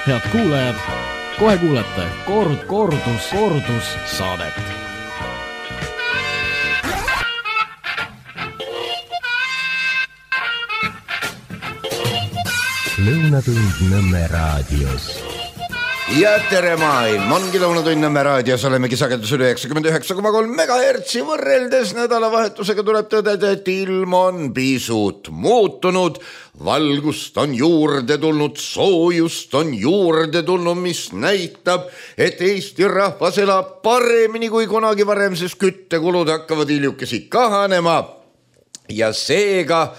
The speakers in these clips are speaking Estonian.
Head kuulajad, kohe kuulete kordus saadet. Lõunatund Nõmme raadios. Ja tere maailm, ongi Lõunatund Nõmme raadios, olemegi sagedusel 99,3 megahertsi võrreldes nädalavahetusega tuleb tõdeda, et ilm on pisut muutunud, valgust on juurde tulnud, soojust on juurde tulnud, mis näitab, et Eesti rahvas elab paremini kui kunagi varem, sest küttekulud hakkavad hiljukesi kahanema ja seega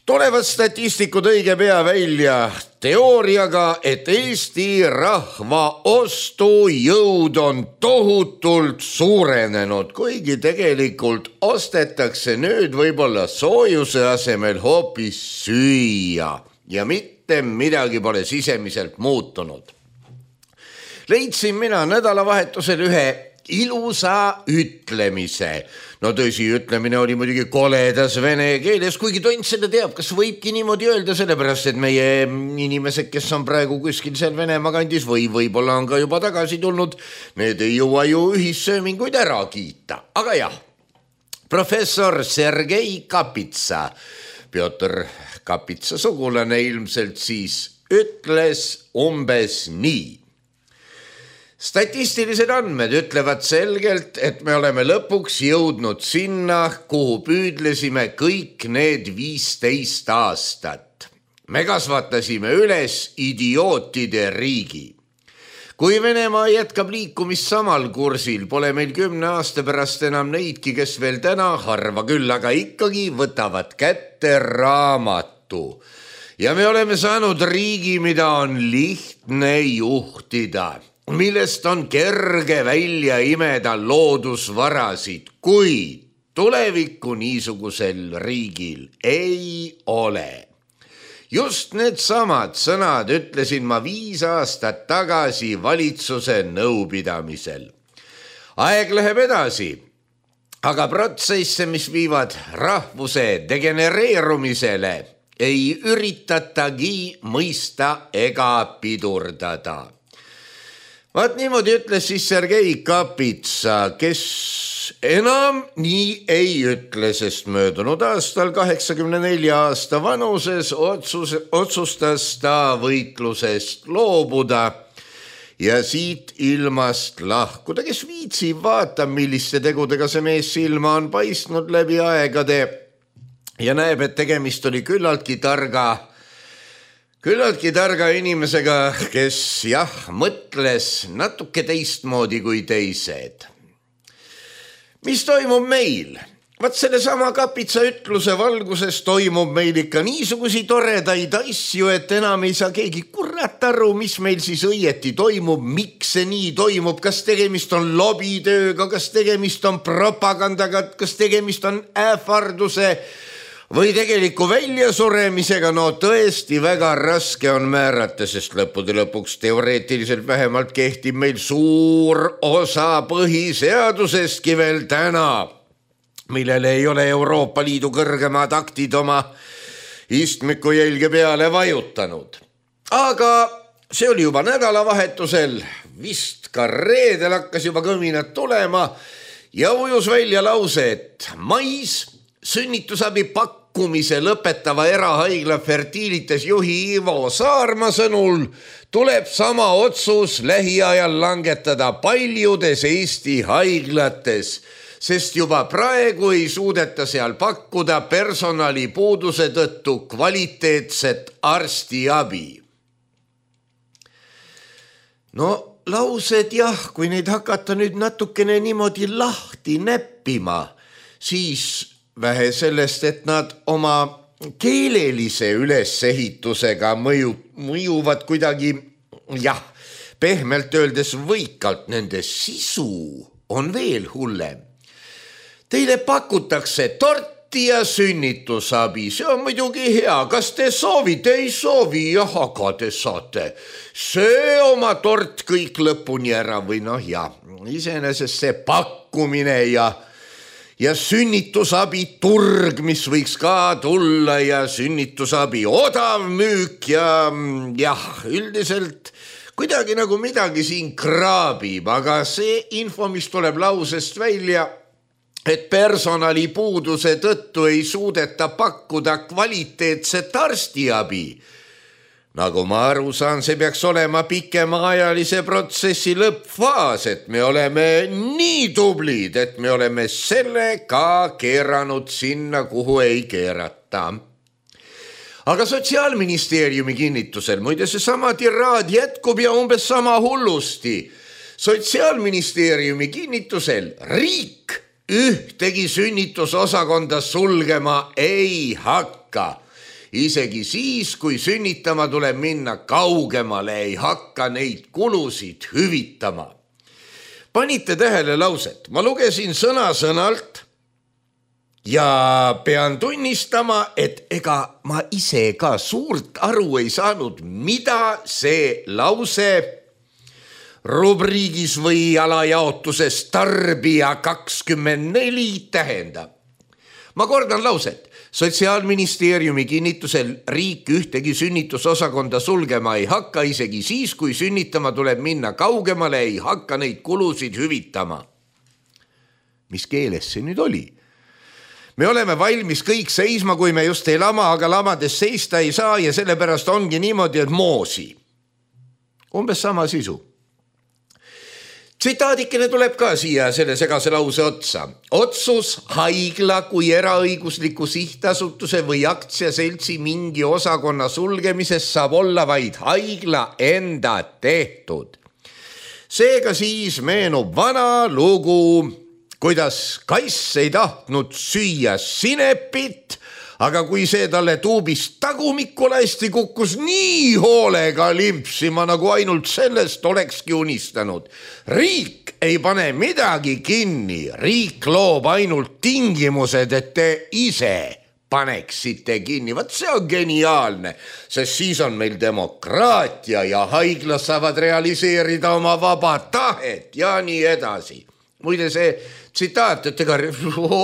tulevad statistikud õige pea välja teooriaga, et Eesti rahva ostujõud on tohutult suurenenud, kuigi tegelikult ostetakse nüüd võib-olla soojuse asemel hoopis süüa ja mitte midagi pole sisemiselt muutunud. Leidsin mina nädalavahetusel ühe ilusa ütlemise. No tõsi, ütlemine oli muidugi koledas vene keeles, kuigi tont seda teab, kas võibki niimoodi öelda, sellepärast et meie inimesed, kes on praegu kuskil seal Venemaa kandis või võib-olla on ka juba tagasi tulnud, need ei jõua ju ühissööminguid ära kiita. Aga jah, professor Sergei Kapitsa, Pjotr Kapitsa sugulane ilmselt siis, ütles umbes nii. Statistilised andmed ütlevad selgelt, et me oleme lõpuks jõudnud sinna, kuhu püüdlesime kõik need 15 aastat. Me kasvatasime üles idiootide riigi. Kui Venemaa jätkab liikumist samal kursil, pole meil 10 aasta pärast enam neidki, kes veel täna harva küll, aga ikkagi võtavad kätte raamatu. Ja me oleme saanud riigi, mida on lihtne juhtida, millest on kerge välja imeda loodusvarasid, kuid tulevikku niisugusel riigil ei ole. Just need samad sõnad ütlesin ma 5 aastat tagasi valitsuse nõupidamisel. Aeg läheb edasi, aga protsesse, mis viivad rahvuse degenereerumisele, ei üritatagi mõista ega pidurdada. Vaat niimoodi ütles siis Sergei Kapitsa, kes enam nii ei ütle, sest möödunud aastal 84 aasta vanuses otsustas ta võitlusest loobuda ja siit ilmast lahkuda. Kes viitsib, vaata, milliste tegudega see mees silma on paistnud läbi aegade ja näeb, et tegemist oli küllaltki targa inimesega, kes mõtles natuke teistmoodi kui teised. Mis toimub meil? Vaat sellesama Kapitsa ütluse valguses toimub meil ikka niisugusi toredaid asju, et enam ei saa keegi kurat aru, mis meil siis õieti toimub, miks see nii toimub, kas tegemist on lobitööga, kas tegemist on propagandaga, kas tegemist on ähvarduse või tegeliku väljasuremisega, no tõesti väga raske on määrata, sest lõppude lõpuks teoreetiliselt vähemalt kehtib meil suur osa põhiseadusestki veel täna, millele ei ole Euroopa Liidu kõrgemad aktid oma istmiku jälge peale vajutanud. Aga see oli juba nädalavahetusel, vist ka reedel hakkas juba kõminad tulema ja ujus välja lause, et mais sünnitusabi pakkumise lõpetava erahaigla Fertilitas juhi Ivo Saarma sõnul tuleb sama otsus lähiajal langetada paljudes Eesti haiglates, sest juba praegu ei suudeta seal pakkuda personalipuuduse tõttu kvaliteetset arstiabi. No laused jah, kui neid hakata nüüd natukene niimoodi lahti näppima, siis vähe sellest, et nad oma keelelise ülesehitusega mõjuvad kuidagi, pehmelt öeldes võikalt, nende sisu on veel hullem. Teile pakutakse torti ja sünnitusabi, see on muidugi hea, kas te soovite, ei soovi, aga te saate see oma tort kõik lõpuni ära või iseenesest see pakkumine ja ja sünnitusabi turg, mis võiks ka tulla ja sünnitusabi odav müük ja jah, üldiselt kuidagi nagu midagi siin kraabib, aga see info, mis tuleb lausest välja, et personalipuuduse tõttu ei suudeta pakkuda kvaliteetset arstiabi. Nagu ma aru saan, see peaks olema pikemaajalise protsessi lõppfaas, et me oleme nii tublid, et me oleme selle ka keeranud sinna, kuhu ei keerata. Aga Sotsiaalministeeriumi kinnitusel, muide seesama tiraad jätkub ja umbes sama hullusti. Sotsiaalministeeriumi kinnitusel riik ühtegi sünnitusosakonda sulgema ei hakka. Isegi siis, kui sünnitama tuleb minna kaugemale, ei hakka neid kulusid hüvitama. Panite tähele lauset? Ma lugesin sõna-sõnalt ja pean tunnistama, et ega ma ise ka suurt aru ei saanud, mida see lause rubriigis või alajaotuses tarbija 24 tähendab. Ma kordan lauset. Sotsiaalministeeriumi kinnitusel riik ühtegi sünnitusosakonda sulgema ei hakka, isegi siis, kui sünnitama tuleb minna kaugemale, ei hakka neid kulusid hüvitama. Mis keeles see nüüd oli? Me oleme valmis kõik seisma, kui me just ei lama, aga lamades seista ei saa ja sellepärast ongi niimoodi, et moosi. Umbes sama sisu. Tsitaadikene tuleb ka siia selle segase lause otsa. Otsus haigla kui eraõigusliku sihtasutuse või aktsiaseltsi mingi osakonna sulgemisest saab olla vaid haigla enda tehtud. Seega siis meenub vana lugu, kuidas kass ei tahtnud süüa sinepit, aga kui see talle tuubist tagumikku lasti, kukkus nii hoolega limpsima, nagu ainult sellest olekski unistanud. Riik ei pane midagi kinni, riik loob ainult tingimused, et te ise paneksite kinni. Vaat see on geniaalne, sest siis on meil demokraatia ja haiglas saavad realiseerida oma vaba tahet ja nii edasi. Muide see tsitaat, et ega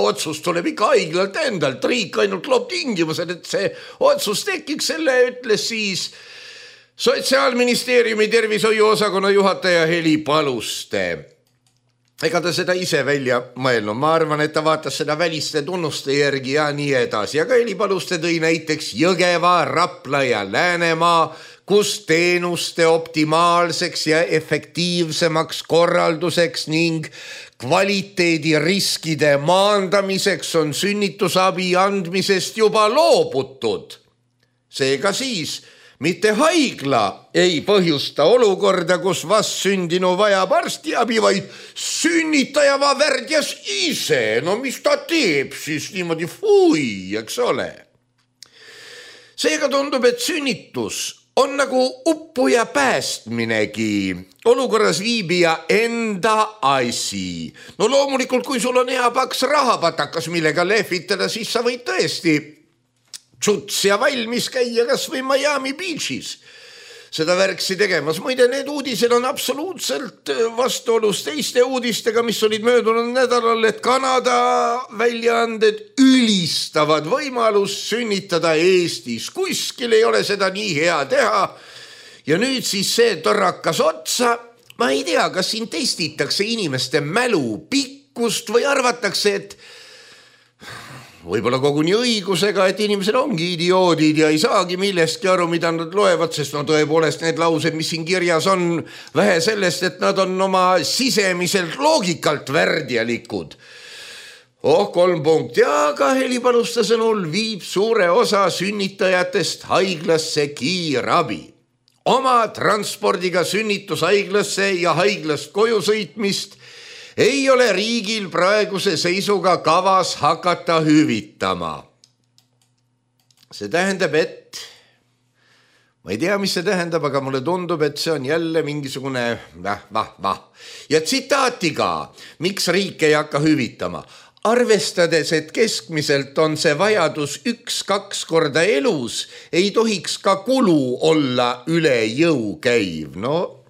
otsus tuleb ikka haiglalt endalt, riik ainult loob tingimused, et see otsus tekiks, selle ütles siis Sotsiaalministeeriumi tervishoiuosakonna juhataja Heli Paluste. Ega ta seda ise välja mõelnud, ma arvan, et ta vaatas seda väliste tunnuste järgi ja nii edasi, aga Heli Paluste tõi näiteks Jõgeva, Rapla ja Läänemaa, kus teenuste optimaalseks ja efektiivsemaks korralduseks ning kvaliteediriskide maandamiseks on sünnitusabi andmisest juba loobutud. Seega siis mitte haigla ei põhjusta olukorda, kus vastsündinu vajab arstiabi, vaid sünnitaja värdjas ise. No mis ta teeb siis niimoodi, eks ole. Seega tundub, et sünnitus on nagu uppuja päästminegi, olukorras viibija enda asi. No loomulikult, kui sul on hea paks rahapatakas, millega lehvitada, siis sa võid tõesti tšuts ja valmis käia kas või Miami Beachis seda värksi tegemas. Muide, need uudised on absoluutselt vastuolus teiste uudistega, mis olid möödunud nädalal, et Kanada väljaanded ülistavad võimalust sünnitada Eestis. Kuskil ei ole seda nii hea teha. Ja nüüd siis see torrakas otsa. Ma ei tea, kas siin testitakse inimeste mälu pikkust või arvatakse, et võib-olla koguni õigusega, et inimesed ongi idioodid ja ei saagi millestki aru, mida nad loevad, sest no tõepoolest need laused, mis siin kirjas on, vähe sellest, et nad on oma sisemiselt loogikalt värdjalikud. 3 punkti, aga Heli Paluste sõnul viib suure osa sünnitajatest haiglasse kiirabi. Oma transpordiga sünnitushaiglasse ja haiglast koju sõitmist ei ole riigil praeguse seisuga kavas hakata hüvitama. See tähendab, et ma ei tea, mis see tähendab, aga mulle tundub, et see on jälle mingisugune Ja tsitaatiga, miks riik ei hakka hüvitama. Arvestades, et keskmiselt on see vajadus 1-2 korda elus, ei tohiks ka kulu olla üle jõu käiv. No,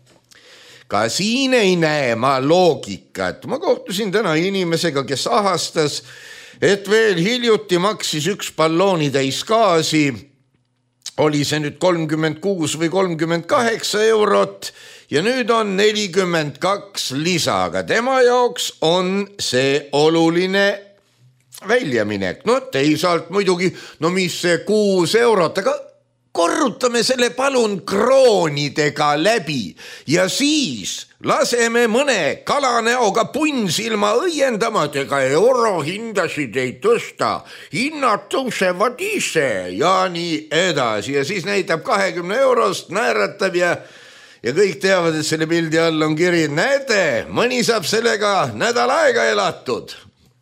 ka siin ei näe ma loogikat. Ma kohtusin täna inimesega, kes ahastas, et veel hiljuti maksis üks balloonitäis gaasi, oli see nüüd 36 või 38 eurot ja nüüd on 42 lisa, aga tema jaoks on see oluline väljaminek. No teisalt muidugi, no mis see 6 eurot, aga korrutame selle palun kroonidega läbi ja siis laseme mõne kalanäoga punnsilma õiendama, et ega eurohindasid ei tõsta, hinnad tõusevad ise ja nii edasi. Ja siis näitab 20 eurost, naeratab ja kõik teavad, et selle pildi all on kiri, näete, mõni saab sellega nädal aega elatud.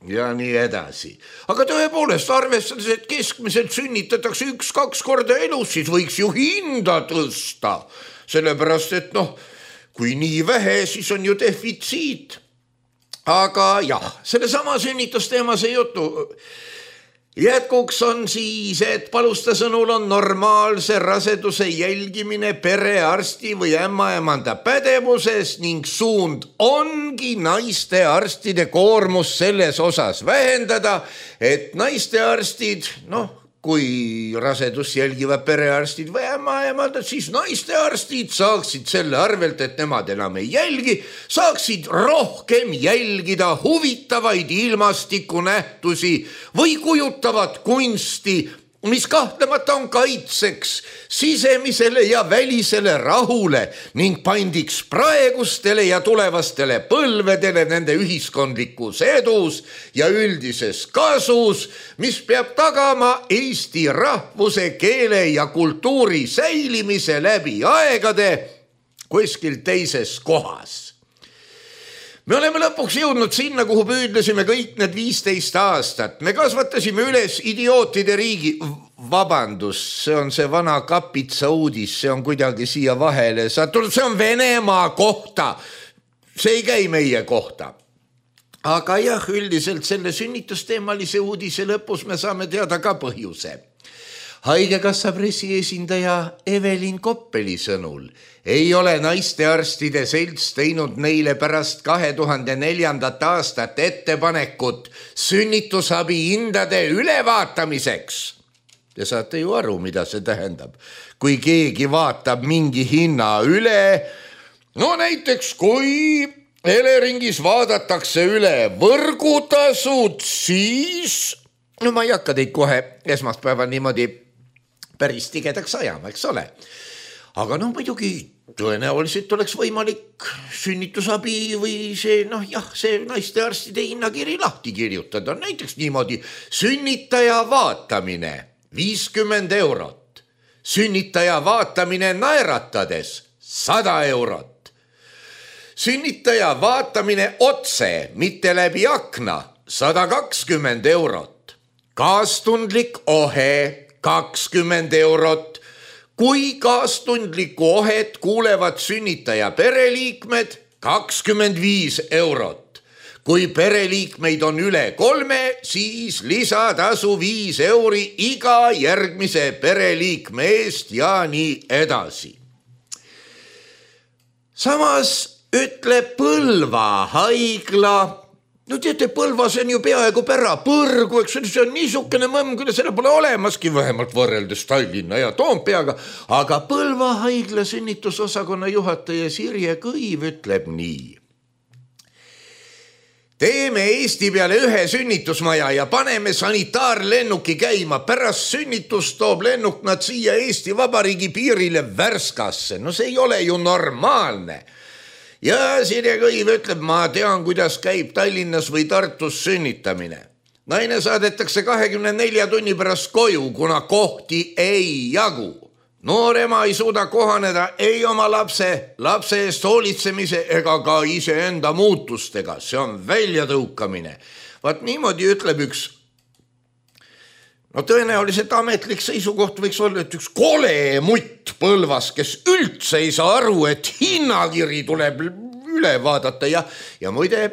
Ja nii edasi. Aga tõepoolest arvestades, et keskmiselt sünnitatakse 1-2 korda elus, siis võiks ju hinda tõsta. Sellepärast, et kui nii vähe, siis on ju defitsiit. Aga jah, selle sama sünnitusteema see jutu jätkuks on siis, et Palusta sõnul on normaalse raseduse jälgimine perearsti või ämmaemanda pädevuses ning suund ongi naistearstide koormus selles osas vähendada, et naistearstid, kui rasedus jälgivad perearstid või ämmaemandad, siis naistearstid saaksid selle arvelt, et nemad enam ei jälgi, saaksid rohkem jälgida huvitavaid ilmastikunähtusi või kujutavat kunsti, mis kahtlemata on kaitseks sisemisele ja välisele rahule ning pandiks praegustele ja tulevastele põlvedele nende ühiskondlikus edus ja üldises kasus, mis peab tagama eesti rahvuse, keele ja kultuuri säilimise läbi aegade kuskil teises kohas. Me oleme lõpuks jõudnud sinna, kuhu püüdlesime kõik need 15 aastat. Me kasvatasime üles idiootide riigi. Vabandust, see on see vana kapitsa uudis, see on kuidagi siia vahele sattunud, see on Venemaa kohta. See ei käi meie kohta. Aga jah, üldiselt selle sünnitusteemalise uudise lõpus me saame teada ka põhjuse. Haigekassa pressiesindaja Evelin Koppeli sõnul ei ole naistearstide selts teinud neile pärast 2004. aastat ettepanekut sünnitusabi hindade ülevaatamiseks. Te saate ju aru, mida see tähendab. Kui keegi vaatab mingi hinna üle, näiteks kui Eleringis vaadatakse üle võrgutasud, siis ma ei hakka teid kohe esmaspäeval niimoodi päris tigedaks ajama, eks ole. Aga muidugi tõenäoliselt oleks võimalik sünnitusabi või see naistearstide hinnakiri lahti kirjutada. Näiteks niimoodi sünnitaja vaatamine 50 eurot, sünnitaja vaatamine naeratades 100 eurot, sünnitaja vaatamine otse, mitte läbi akna 120 eurot, kaastundlik ohe 20 eurot, kui kaastundlikku ohet kuulevad sünnitaja pereliikmed 25 eurot. Kui pereliikmeid on üle 3, siis lisatasu 5 euri iga järgmise pereliikme eest ja nii edasi. Samas ütleb Põlva haigla, teate, Põlvas on ju peaaegu Põrgu, eks see on niisugune mõmm, kui selle pole olemaski, vähemalt võrreldes Tallinna ja Toompeaga, aga Põlva haigla sünnitusosakonna juhataja Sirje Kõiv ütleb nii. Teeme Eesti peale ühe sünnitusmaja ja paneme sanitaarlennuki käima. Pärast sünnitust toob lennuk nad siia Eesti Vabariigi piirile Värskasse. See ei ole ju normaalne. Ja Sirje Kõiv ütleb, ma tean, kuidas käib Tallinnas või Tartus sünnitamine. Naine saadetakse 24 tunni pärast koju, kuna kohti ei jagu. Noor ema ei suuda kohaneda ei oma lapse eest hoolitsemise ega ka iseenda muutustega. See on väljatõukamine. Vaat niimoodi ütleb üks, tõenäoliselt ametlik seisukoht võiks olla, et üks kole mutt Põlvas, kes üldse ei saa aru, et hinnakiri tuleb üle vaadata ja muide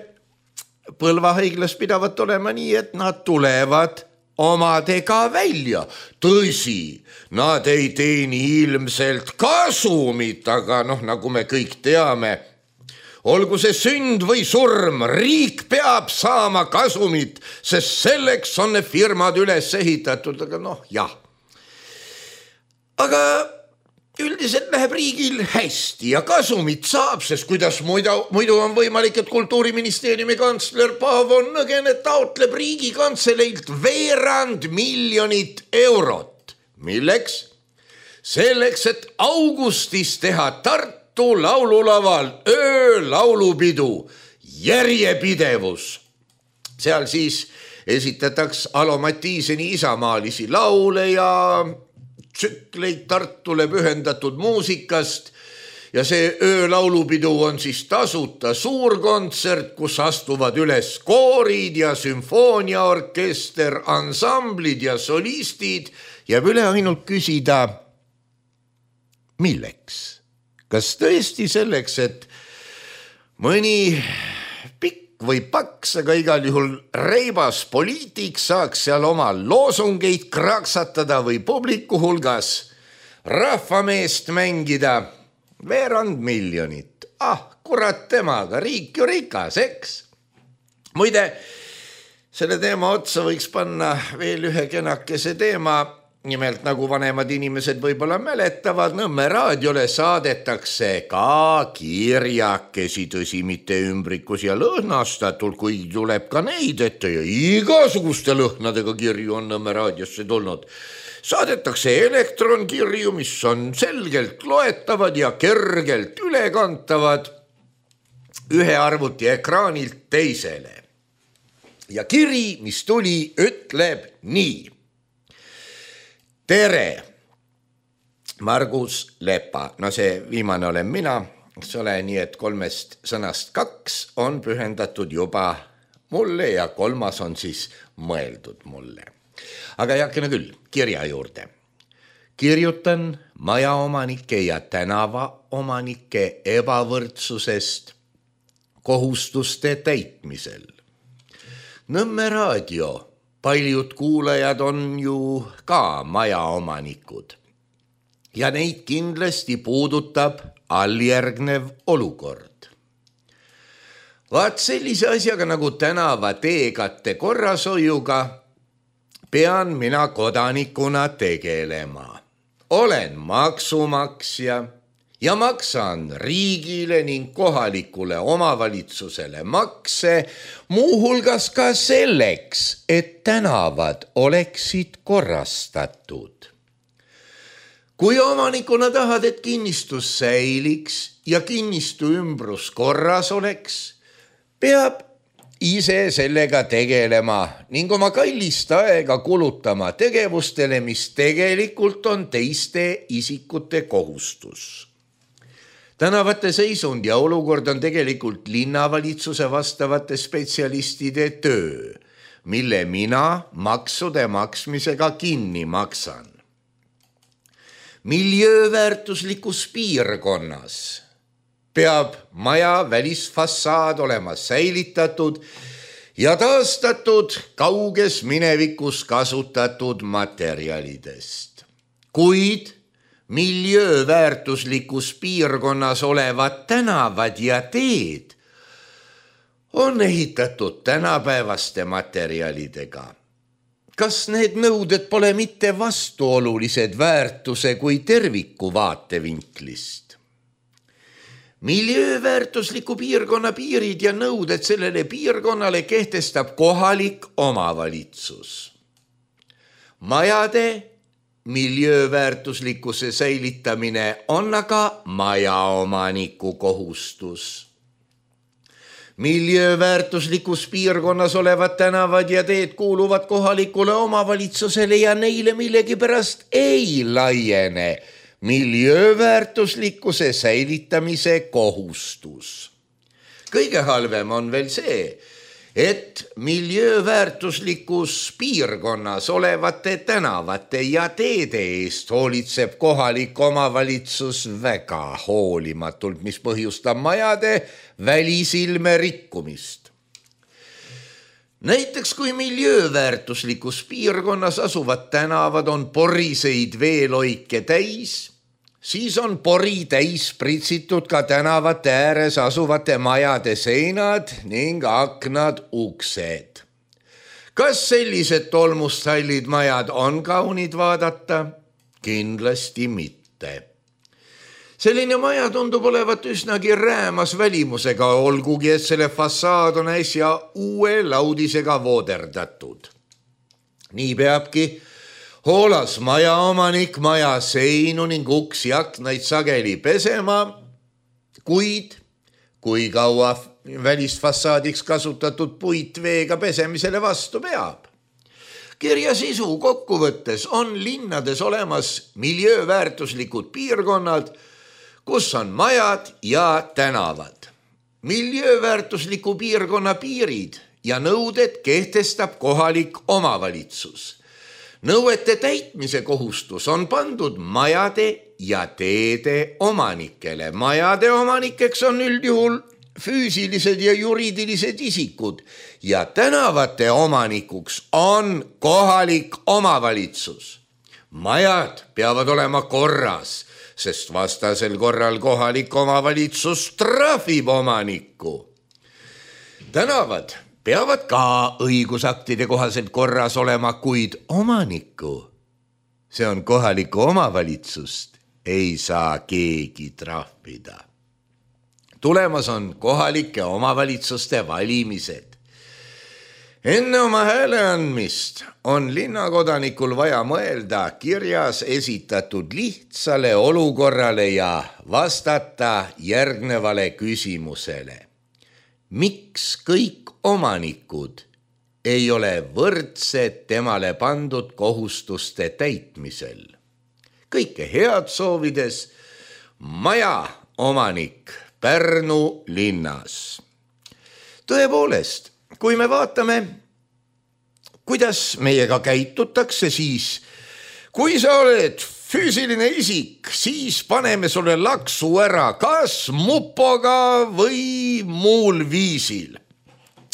Põlva haiglas pidavat olema nii, et nad tulevad omadega välja. Tõsi, nad ei teeni ilmselt kasumit, aga nagu me kõik teame, olgu see sünd või surm, riik peab saama kasumit, sest selleks on need firmad üles ehitatud, aga jah. Aga üldiselt läheb riigil hästi ja kasumit saab, sest kuidas muidu on võimalik, et Kultuuriministeeriumi kantsler Paavo Nõgene taotleb Riigikantseleilt 200 miljonit eurot. Milleks? Selleks, et augustis teha Tartu laululaval öölaulupidu Järjepidevus. Seal siis esitataks Alo Matiiseni isamaalisi laule ja tsükleid Tartule pühendatud muusikast ja see öölaulupidu on siis tasuta suurkontsert, kus astuvad üles koorid ja sümfooniaorkester, ansamblid ja solistid. Jääb üle ainult küsida, milleks? Kas tõesti selleks, et mõni pikk või paks, aga igal juhul reibas poliitik saaks seal oma loosungeid kraksatada või publiku hulgas rahvameest mängida 200 miljonit. Kurat temaga, riik ju rikas, eks? Muide, selle teema otsa võiks panna veel ühe kenakese teema. Nimelt, nagu vanemad inimesed võib-olla mäletavad, Nõmme raadiole saadetakse ka kirjakesi, tõsi mitte ümbrikus ja lõhnastatult, kui tuleb ka neid ette ja igasuguste lõhnadega kirju on Nõmme raadiosse tulnud. Saadetakse elektronkirju, mis on selgelt loetavad ja kergelt ülekantavad ühe arvuti ekraanilt teisele. Ja kiri, mis tuli, ütleb nii. Tere, Margus Lepa. See viimane olen mina, eks ole, nii et 3 sõnast 2 on pühendatud juba mulle ja 3 on siis mõeldud mulle. Aga jakene küll, kirja juurde. Kirjutan majaomanike ja tänavaomanike ebavõrdsusest kohustuste täitmisel. Nõmme raadio. Paljud kuulajad on ju ka majaomanikud ja neid kindlasti puudutab alljärgnev olukord. Vaat sellise asjaga nagu tänavateekatte korrashoiuga pean mina kodanikuna tegelema. Olen maksumaksja ja maksan riigile ning kohalikule omavalitsusele makse, muuhulgas ka selleks, et tänavad oleksid korrastatud. Kui omanikuna tahad, et kinnistus säiliks ja kinnistu ümbrus korras oleks, peab ise sellega tegelema ning oma kallist aega kulutama tegevustele, mis tegelikult on teiste isikute kohustus. Tänavate seisund ja olukord on tegelikult linnavalitsuse vastavate spetsialistide töö, mille mina maksude maksmisega kinni maksan. Miljööväärtuslikus piirkonnas peab maja välisfassaad olema säilitatud ja taastatud kauges minevikus kasutatud materjalidest. Kuid miljööväärtuslikus piirkonnas olevad tänavad ja teed on ehitatud tänapäevaste materjalidega. Kas need nõuded pole mitte vastuolulised väärtuse kui terviku vaatevinklist? Miljööväärtusliku piirkonna piirid ja nõuded sellele piirkonnale kehtestab kohalik omavalitsus. Majade miljööväärtuslikkuse säilitamine on aga majaomaniku kohustus. Miljööväärtuslikus piirkonnas olevad tänavad ja teed kuuluvad kohalikule omavalitsusele ja neile millegipärast ei laiene miljööväärtuslikkuse säilitamise kohustus. Kõige halvem on veel see, et miljööväärtuslikus piirkonnas olevate tänavate ja teede eest hoolitseb kohalik omavalitsus väga hoolimatult, mis põhjustab majade välisilme rikkumist. Näiteks kui miljööväärtuslikus piirkonnas asuvad tänavad on poriseid veeloike täis, siis on pori täis pritsitud ka tänavate ääres asuvate majade seinad ning aknad uksed. Kas sellised tolmustallid majad on kaunid vaadata? Kindlasti mitte. Selline maja tundub olevat üsnagi räämas välimusega, olgugi et selle fassaad on äsja uue laudisega vooderdatud. Nii peabki hoolas majaomanik maja seinu ning uksi aknaid sageli pesema, kuid kui kaua välistfassaadiks kasutatud puit veega pesemisele vastu peab. Kirja sisu kokkuvõttes on linnades olemas miljööväärtuslikud piirkonnad, kus on majad ja tänavad. Miljööväärtusliku piirkonna piirid ja nõuded kehtestab kohalik omavalitsus. Nõuete täitmise kohustus on pandud majade ja teede omanikele. Majade omanikeks on üldjuhul füüsilised ja juriidilised isikud ja tänavate omanikuks on kohalik omavalitsus. Majad peavad olema korras, sest vastasel korral kohalik omavalitsus trahvib omanikku. Tänavad peavad ka õigusaktide kohaselt korras olema, kuid omanikku, see on kohalikku omavalitsust, ei saa keegi trahvida. Tulemas on kohalike omavalitsuste valimised. Enne oma hääle andmist on linnakodanikul vaja mõelda kirjas esitatud lihtsale olukorrale ja vastata järgnevale küsimusele. Miks kõik omanikud ei ole võrdsed temale pandud kohustuste täitmisel? Kõike head soovides maja omanik Pärnu linnas. Tõepoolest, kui me vaatame, kuidas meiega käitutakse, siis kui sa oled füüsiline isik, siis paneme sulle laksu ära kas mupoga või muul viisil.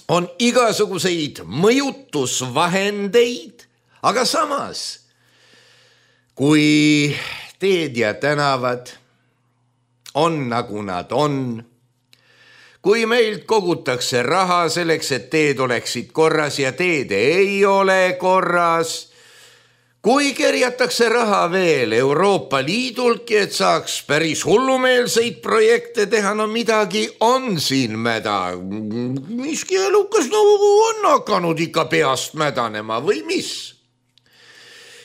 On igasuguseid mõjutusvahendeid, aga samas, kui teed ja tänavad on nagu nad on, kui meilt kogutakse raha selleks, et teed oleksid korras ja teed ei ole korras, kui kerjatakse raha veel Euroopa Liidultki, et saaks päris hullumeelseid projekte teha, no midagi on siin mäda. Miski elukas on hakanud ikka peast mädanema või mis?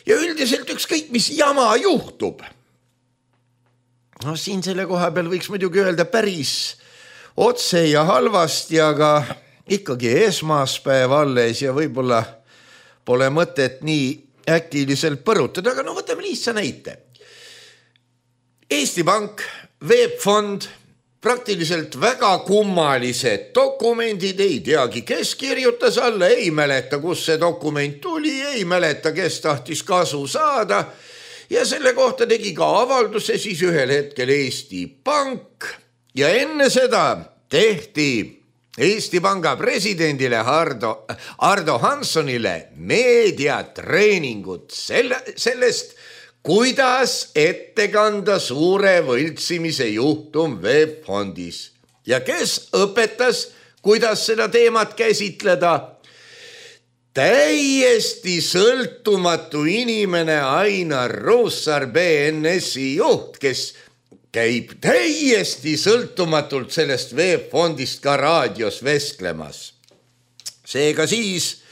Ja üldiselt ükskõik, mis jama juhtub. No siin selle koha peal võiks muidugi öelda päris otse ja halvasti, aga ikkagi esmaspäev alles ja võib-olla pole mõtet nii äkiliselt põrutada, aga no võtame lihtsa näite. Eesti Pank, VEB Fond, praktiliselt väga kummalised dokumendid, ei teagi, kes kirjutas alla, ei mäleta, kus see dokument tuli, ei mäleta, kes tahtis kasu saada ja selle kohta tegi ka avalduse siis ühel hetkel Eesti Pank ja enne seda tehti Eesti Panga presidendile Ardo Hanssonile meediatreeningut sellest, kuidas ette kanda suure võltsimise juhtum VEB Fondis. Ja kes õpetas, kuidas seda teemat käsitleda? Täiesti sõltumatu inimene Ainar Ruussaar, BNS-i juht, kes käib täiesti sõltumatult sellest VEB Fondist ka raadios vesklemas. Seega siis,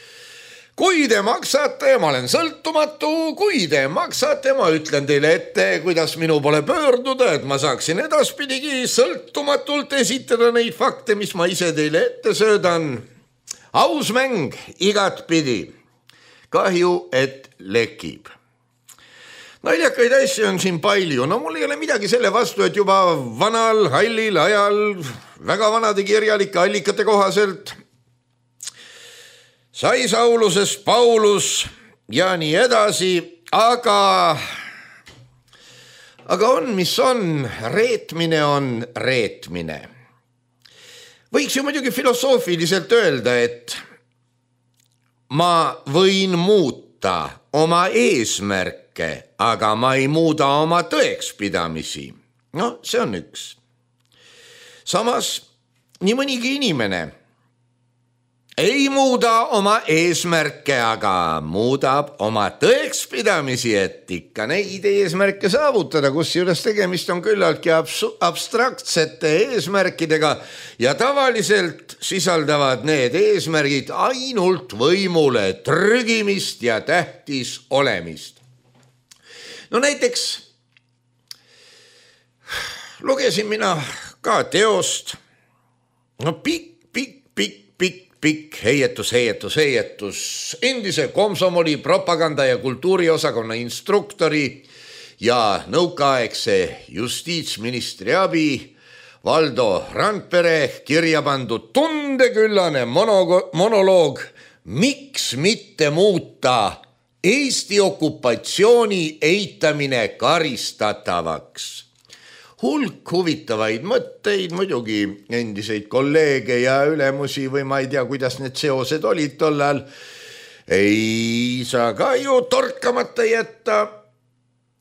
kui te maksate, ma olen sõltumatu, kui te maksate, ma ütlen teile ette, kuidas minu poole pöörduda, et ma saaksin edaspidigi sõltumatult esitada neid fakte, mis ma ise teile ette söödan. Aus mäng igatpidi. Kahju, et lekib. Naljakaid asju on siin palju. No mul ei ole midagi selle vastu, et juba vanal, hallil ajal, väga vanade kirjalike allikate kohaselt sai Saulusest Paulus ja nii edasi, aga on, mis on, reetmine on reetmine. Võiks ju muidugi filosoofiliselt öelda, et ma võin muuta oma eesmärke eesmärke, aga ma ei muuda oma tõekspidamisi. No see on üks. Samas nii mõnigi inimene ei muuda oma eesmärke, aga muudab oma tõekspidamisi, et ikka neid eesmärke saavutada, kusjuures tegemist on küllaltki abstraktsete eesmärkidega ja tavaliselt sisaldavad need eesmärgid ainult võimule trügimist ja tähtis olemist. No näiteks lugesin mina ka teost, no pikk heietus, endise komsomoli propaganda- ja kultuuriosakonna instruktori ja nõukaaegse justiitsministri abi Valdo Randpere kirja pandud tundeküllane monoloog Miks mitte muuta Eesti okupatsiooni eitamine karistatavaks. Hulk huvitavaid mõtteid, muidugi endiseid kolleege ja ülemusi või ma ei tea, kuidas need seosed olid tollal. Ei saa ka ju torkamata jätta.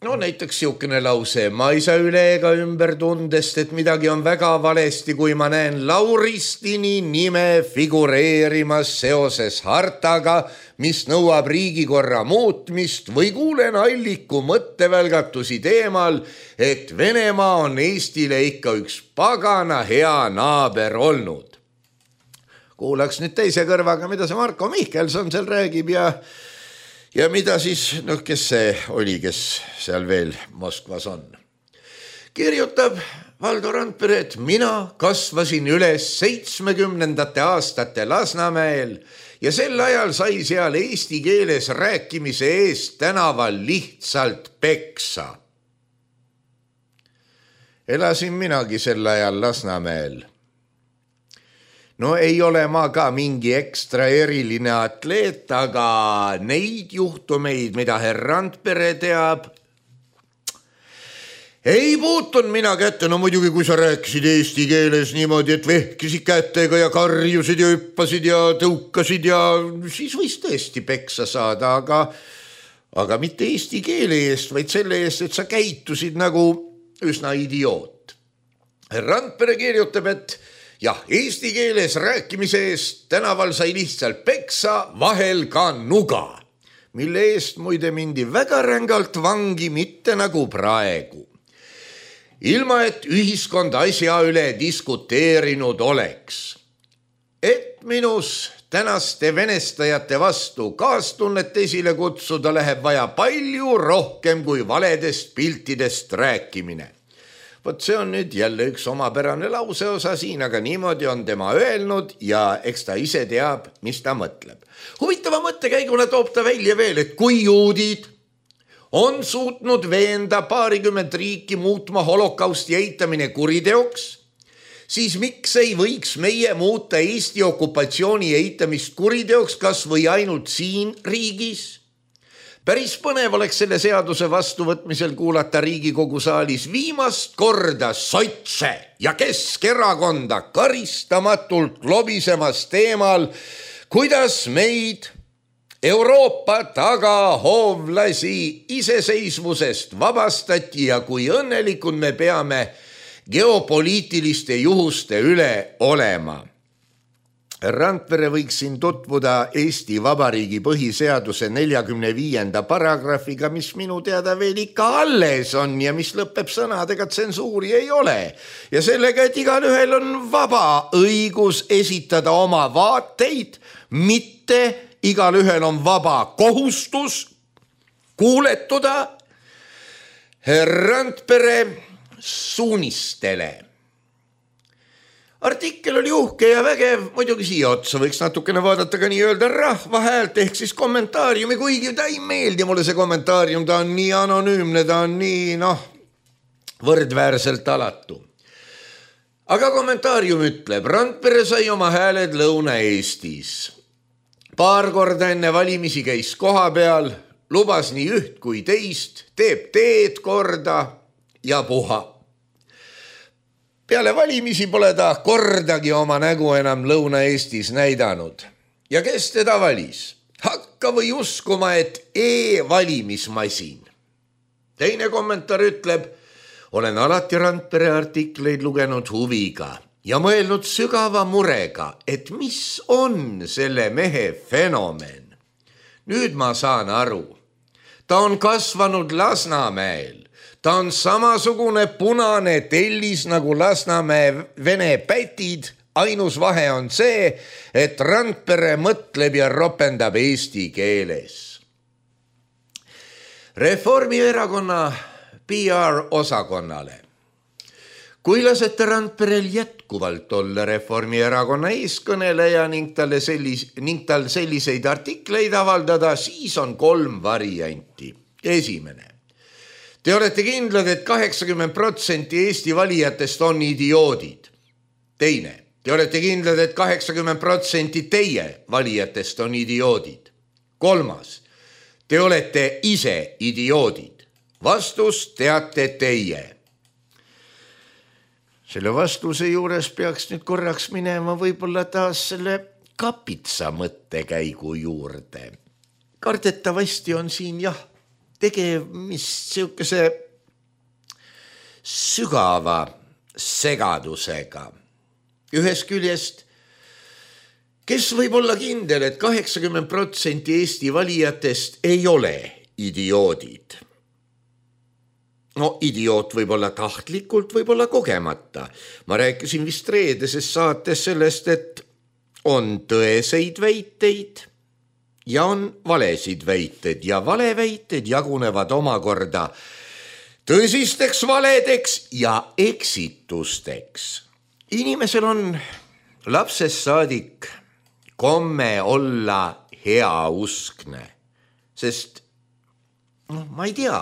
No näiteks siukene lause, ma ei saa üle ega ümber tundest, et midagi on väga valesti, kui ma näen Lauristini nime figureerimas seoses hartaga, mis nõuab riigikorra muutmist või kuulen alliku mõttevälgatusi teemal, et Venemaa on Eestile ikka üks pagana hea naaber olnud. Kuulaks nüüd teise kõrvaga, mida see Marko Mihkelson seal räägib ja mida siis, kes see oli, kes seal veel Moskvas on. Kirjutab Valdo Randpere, et mina kasvasin üles 70. aastate Lasnamäel ja sel ajal sai seal eesti keeles rääkimise eest tänaval lihtsalt peksa. Elasin minagi sel ajal Lasnamäel. No ei ole ma ka mingi ekstra eriline atleet, aga neid juhtumeid, mida herr Randpere teab, ei puutun mina kätte. No muidugi, kui sa rääkisid eesti keeles niimoodi, et vehkisid kätega ja karjusid ja hüppasid ja tõukasid ja siis võis tõesti peksa saada, aga mitte eesti keele eest, vaid selle eest, et sa käitusid nagu üsna idioot. Herr Randpere kirjutab, et jah, eesti keeles rääkimise eest tänaval sai lihtsalt peksa, vahel ka nuga, mille eest muide mindi väga rängalt vangi, mitte nagu praegu. Ilma, et ühiskond asja üle diskuteerinud oleks. Et minus tänaste venestajate vastu kaastunnet esile kutsuda läheb vaja palju rohkem kui valedest piltidest rääkimine. Vot see on nüüd jälle üks omapärane lauseosa siin, aga niimoodi on tema öelnud ja eks ta ise teab, mis ta mõtleb. Huvitava mõttekäiguna toob ta välja veel, et kui juudid on suutnud veenda 20 riiki muutma holokausti eitamine kuriteoks, siis miks ei võiks meie muuta Eesti okupatsiooni eitamist kuriteoks kas või ainult siin riigis? Päris põnev oleks selle seaduse vastuvõtmisel kuulata Riigikogu saalis viimast korda sotse ja Keskerakonda karistamatult lobisemas teemal, kuidas meid Euroopa tagahoovlasi iseseisvusest vabastati ja kui õnnelikud me peame geopoliitiliste juhuste üle olema. Randpere võiks siin tutvuda Eesti Vabariigi põhiseaduse 45. paragrahviga, mis minu teada veel ikka alles on ja mis lõpeb sõnadega, tsensuuri ei ole. Ja sellega, et igal ühel on vaba õigus esitada oma vaateid, mitte igal ühel on vaba kohustus kuuletuda Randpere suunistele. Artikkel oli uhke ja vägev, muidugi siia otsa võiks natukene vaadata ka nii-öelda rahva häält ehk siis kommentaariumi, kuigi ta ei meeldi mulle see kommentaarium, ta on nii anonüümne, ta on nii võrdväärselt alatu. Aga kommentaarium ütleb, Randpere sai oma hääled Lõuna-Eestis. Paar korda enne valimisi käis koha peal, lubas nii üht kui teist, teeb teed korda ja puha. Peale valimisi pole ta kordagi oma nägu enam Lõuna-Eestis näidanud. Ja kes teda valis? Hakka või uskuma, et e-valimismasin. Teine kommentaar ütleb: olen alati Randpere artikleid lugenud huviga ja mõelnud sügava murega, et mis on selle mehe fenomen. Nüüd ma saan aru. Ta on kasvanud Lasnamäel. Ta on samasugune punane tellis nagu Lasnamäe vene pätid. Ainus vahe on see, et Randpere mõtleb ja ropendab eesti keeles. Reformierakonna PR-osakonnale. Kui lasete Randperel jätkuvalt olla Reformierakonna eeskõneleja ning tal selliseid artikleid avaldada, siis on 3 varianti. Esimene. Te olete kindlad, et 80% Eesti valijatest on idioodid. Teine. Te olete kindlad, et 80% teie valijatest on idioodid. Kolmas. Te olete ise idioodid. Vastus teate teie. Selle vastuse juures peaks nüüd korraks minema võib-olla taas selle kapitsa mõttekäigu juurde. Kardetavasti on siin tegemist siukese sügava segadusega. Ühest küljest, kes võib olla kindel, et 80% Eesti valijatest ei ole idioodid? No idioot võib olla tahtlikult, võib olla kogemata. Ma rääkisin vist reedeses saates sellest, et on tõeseid väiteid ja on valesid väiteid ja valeväited jagunevad omakorda tõsisteks valedeks ja eksitusteks. Inimesel on lapsest saadik komme olla heauskne, sest ma ei tea,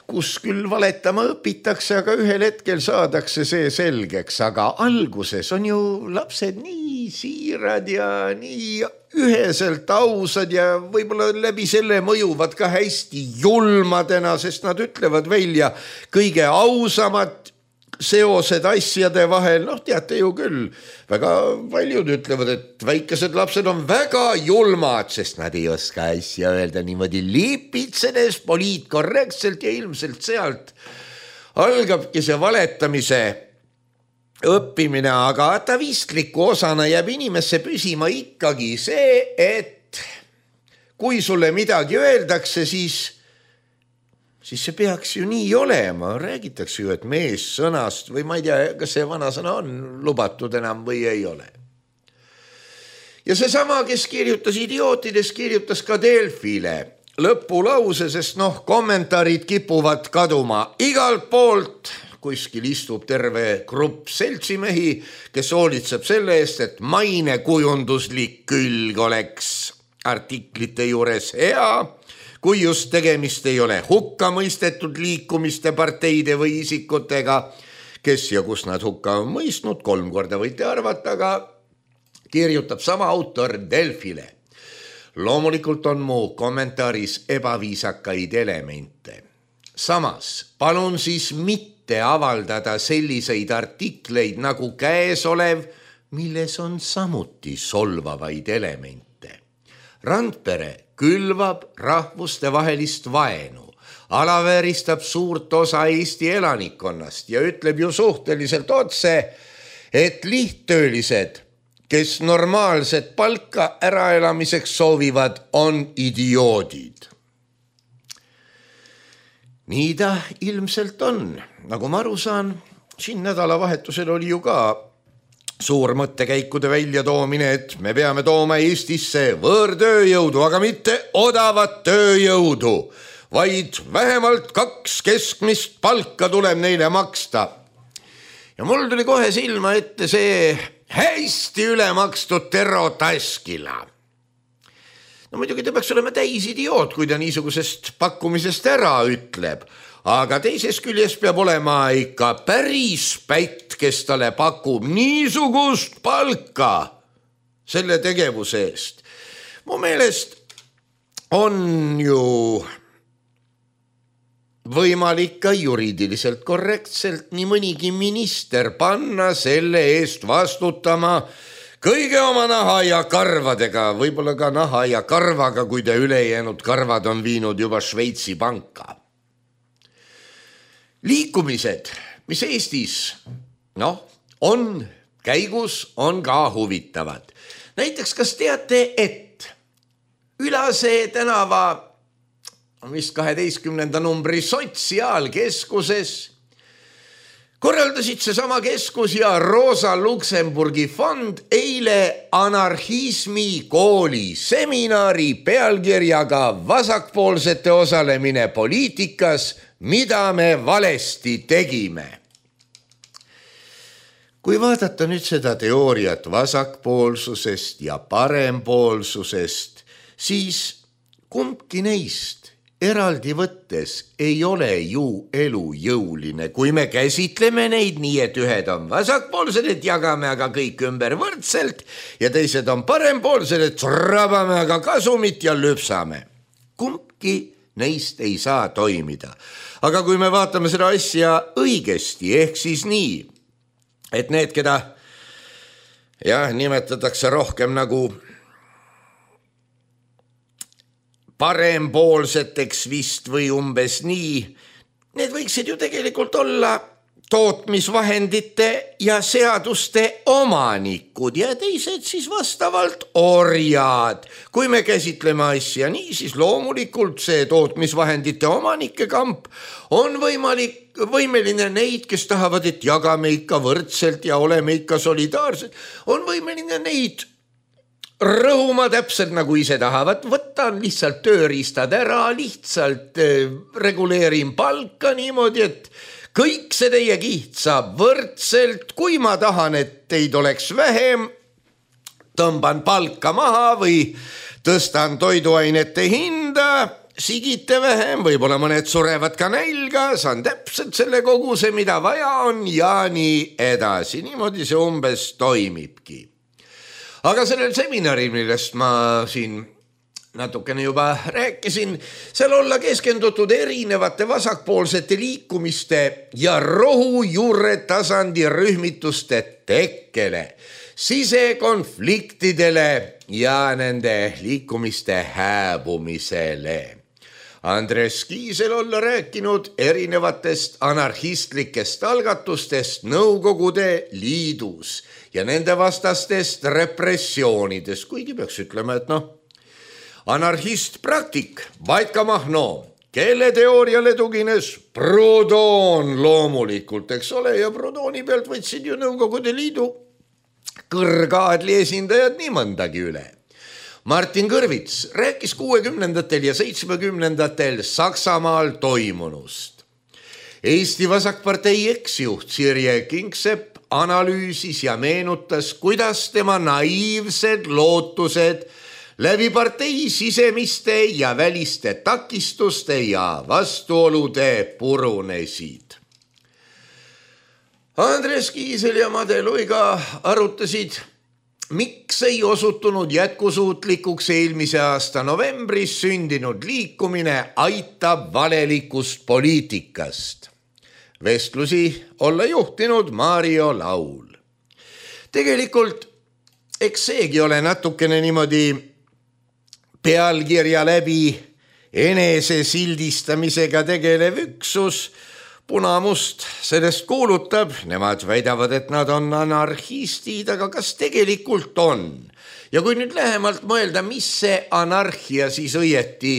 kus küll valetama õpitakse, aga ühel hetkel saadakse see selgeks, aga alguses on ju lapsed nii siirad ja nii üheselt ausad ja võib-olla läbi selle mõjuvad ka hästi julmadena, sest nad ütlevad välja kõige ausamad seosed asjade vahel. Teate ju küll, väga paljud ütlevad, et väikesed lapsed on väga julmad, sest nad ei oska asja öelda niimoodi lipitsedes poliitkorrektselt ja ilmselt sealt algabki see valetamise õppimine, aga atavistliku osana jääb inimesse püsima ikkagi see, et kui sulle midagi öeldakse, siis see peaks ju nii olema. Räägitakse ju, et mees sõnast või ma ei tea, kas see vanasõna on lubatud enam või ei ole. Ja seesama, kes kirjutas idiootidest, kirjutas ka Delfile lõpulause, sest kommentaarid kipuvad kaduma igalt poolt. Kuskil istub terve grupp seltsimehi, kes hoolitseb selle eest, et mainekujunduslik külg oleks artiklite juures hea, kui just tegemist ei ole hukka mõistetud liikumiste, parteide või isikutega, kes ja kus nad hukka on mõistnud, 3 korda võite arvata, aga kirjutab sama autor Delfile. Loomulikult on mu kommentaaris ebaviisakaid elemente. Samas, palun siis mitte avaldada selliseid artikleid nagu käesolev, milles on samuti solvavaid elemente. Randpere külvab rahvustevahelist vaenu, alavääristab suurt osa Eesti elanikkonnast ja ütleb ju suhteliselt otse, et lihttöölised, kes normaalset palka äraelamiseks soovivad, on idioodid. Nii ta ilmselt on. Nagu ma aru saan, siin nädalavahetusel oli ju ka suur mõttekäikude väljatoomine, et me peame tooma Eestisse võõrtööjõudu, aga mitte odavat tööjõudu, vaid vähemalt 2 keskmist palka tuleb neile maksta. Ja mul tuli kohe silma ette see hästi ülemakstud Tero Taskila. No muidugi ta peaks olema täis idioot, kui ta niisugusest pakkumisest ära ütleb, aga teisest küljest peab olema ikka päris pätt, kes talle pakub niisugust palka selle tegevuse eest. Mu meelest on ju võimalik ka juriidiliselt korrektselt nii mõnigi minister panna selle eest vastutama kõige oma naha ja karvadega, võib-olla ka naha ja karvaga, kui te ülejäänud karvad on viinud juba Šveitsi panka. liikumised, mis Eestis on käigus, on ka huvitavad. Näiteks, kas teate, et Ülase tänava vist 12. numbri sotsiaalkeskuses korraldasid seesama keskus ja Rosa Luxemburgi fond eile anarhismi kooli seminari pealkirjaga vasakpoolsete osalemine poliitikas, mida me valesti tegime. Kui vaadata nüüd seda teooriat vasakpoolsusest ja parempoolsusest, siis kumbki neist eraldi võttes ei ole ju elujõuline, kui me käsitleme neid nii, et ühed on vasakpoolsed, et jagame aga kõik ümber võrdselt ja teised on parempoolsed, et rabame aga kasumit ja lüpsame. Kumbki neist ei saa toimida. Aga kui me vaatame seda asja õigesti, ehk siis nii, et need, keda nimetatakse rohkem nagu parempoolseteks vist või umbes nii, need võiksid ju tegelikult olla tootmisvahendite ja seaduste omanikud ja teised siis vastavalt orjad. Kui me käsitleme asja nii, siis loomulikult see tootmisvahendite omanike kamp on võimeline neid, kes tahavad, et jagame ikka võrdselt ja oleme ikka solidaarsed, on võimeline neid rõhuma täpselt nagu ise tahavad, võtan lihtsalt tööriistad ära, lihtsalt reguleerin palka niimoodi, et kõik see teie kiht saab võrdselt, kui ma tahan, et teid oleks vähem, tõmban palka maha või tõstan toiduainete hinda, sigite vähem, võib-olla mõned surevad ka nälga, saan täpselt selle koguse, mida vaja on ja nii edasi. Niimoodi see umbes toimibki. Aga sellel seminaril, millest ma siin natukene juba rääkisin, seal olla keskendutud erinevate vasakpoolsete liikumiste ja rohujuure tasandi rühmituste tekkele, sisekonfliktidele ja nende liikumiste hääbumisele. Andres Kiisel olla rääkinud erinevatest anarhistlikest algatustest Nõukogude Liidus ja nende vastastest repressioonidest, kuigi peaks ütlema, et anarhist praktik Vaidka Mahno, kelle teooriale tugines Proudhon loomulikult, eks ole, ja Proudhoni pealt võtsid ju Nõukogude Liidu kõrgaadli esindajad nii mõndagi üle. Martin Kõrvits rääkis 60. ja 70. Saksamaal toimunust. Eesti Vasakpartei eksjuht Sirje Kingsepp analüüsis ja meenutas, kuidas tema naiivsed lootused läbi partei sisemiste ja väliste takistuste ja vastuolude purunesid. Andres Kiisel ja Made Luiga arutasid, miks ei osutunud jätkusuutlikuks eelmise aasta novembris sündinud liikumine Aitab valelikust poliitikast. Vestlusi olla juhtinud Mario Laul. Tegelikult, eks seegi ole natukene niimoodi pealkirja läbi enese sildistamisega tegelev üksus. Punamust sellest kuulutab, nemad väidavad, et nad on anarhistid, aga kas tegelikult on? Ja kui nüüd lähemalt mõelda, mis see anarhia siis õieti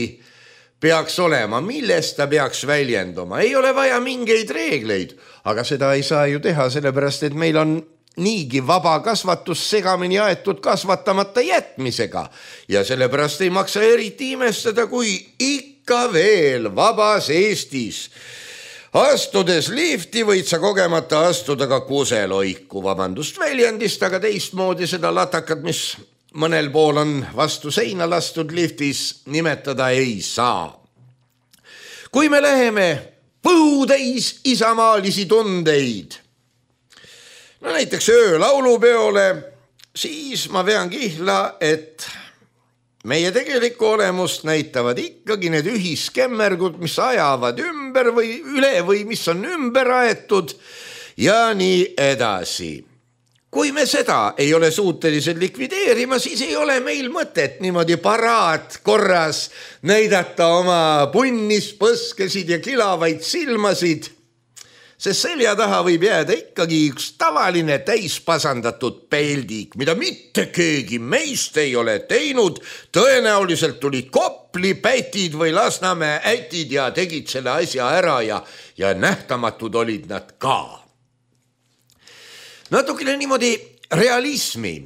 peaks olema, millest ta peaks väljenduma, ei ole vaja mingeid reegleid, aga seda ei saa ju teha, sellepärast et meil on niigi vaba kasvatus segamini aetud kasvatamata jätmisega ja sellepärast ei maksa eriti imestada, kui ikka veel vabas Eestis astudes lifti võid sa kogemata astuda ka kuseloiku, vabandust väljendist, aga teistmoodi seda latakat, mis mõnel pool on vastu seina lastud liftis, nimetada ei saa. Kui me läheme põhutäis isamaalisi tundeid, näiteks öölaulupeole, siis ma vean kihla, et meie tegelikku olemust näitavad ikkagi need ühiskemmergud, mis ajavad ümber või üle või mis on ümber aetud ja nii edasi. Kui me seda ei ole suutelised likvideerima, siis ei ole meil mõtet niimoodi paraat korras näidata oma punnispõskesid ja kilavaid silmasid sest selja taha võib jääda ikkagi üks tavaline täispasandatud peldik, mida mitte keegi meist ei ole teinud. Tõenäoliselt tulid Kopli pätid või Lasnamäe ätid ja tegid selle asja ära ja nähtamatud olid nad ka. Natukene niimoodi realismi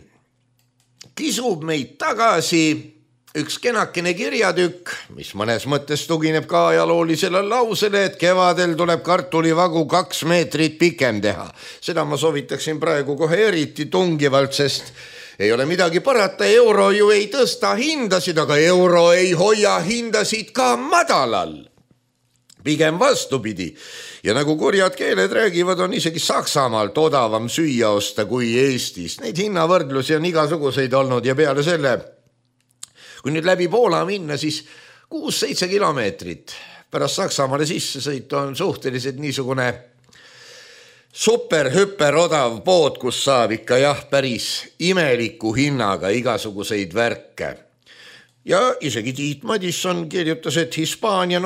kisub meid tagasi üks kenakene kirjatükk, mis mõnes mõttes tugineb ka ajaloolisele lausele, et kevadel tuleb kartulivagu 2 meetrit pikem teha. Seda ma soovitaksin praegu kohe eriti tungivalt, sest ei ole midagi parata, euro ju ei tõsta hindasid, aga euro ei hoia hindasid ka madalal. Pigem vastupidi. Ja nagu kurjad keeled räägivad, on isegi Saksamaalt odavam süüa osta kui Eestis. Neid hinnavõrdlusi on igasuguseid olnud ja peale selle, kui nüüd läbi Poola minna, siis 6-7 kilomeetrit pärast Saksamaale sisse sõita on suhteliselt niisugune super-hüper odav pood, kus saab ikka päris imeliku hinnaga igasuguseid värke. Ja isegi Tiit Madisson kirjutas, et Hispaania,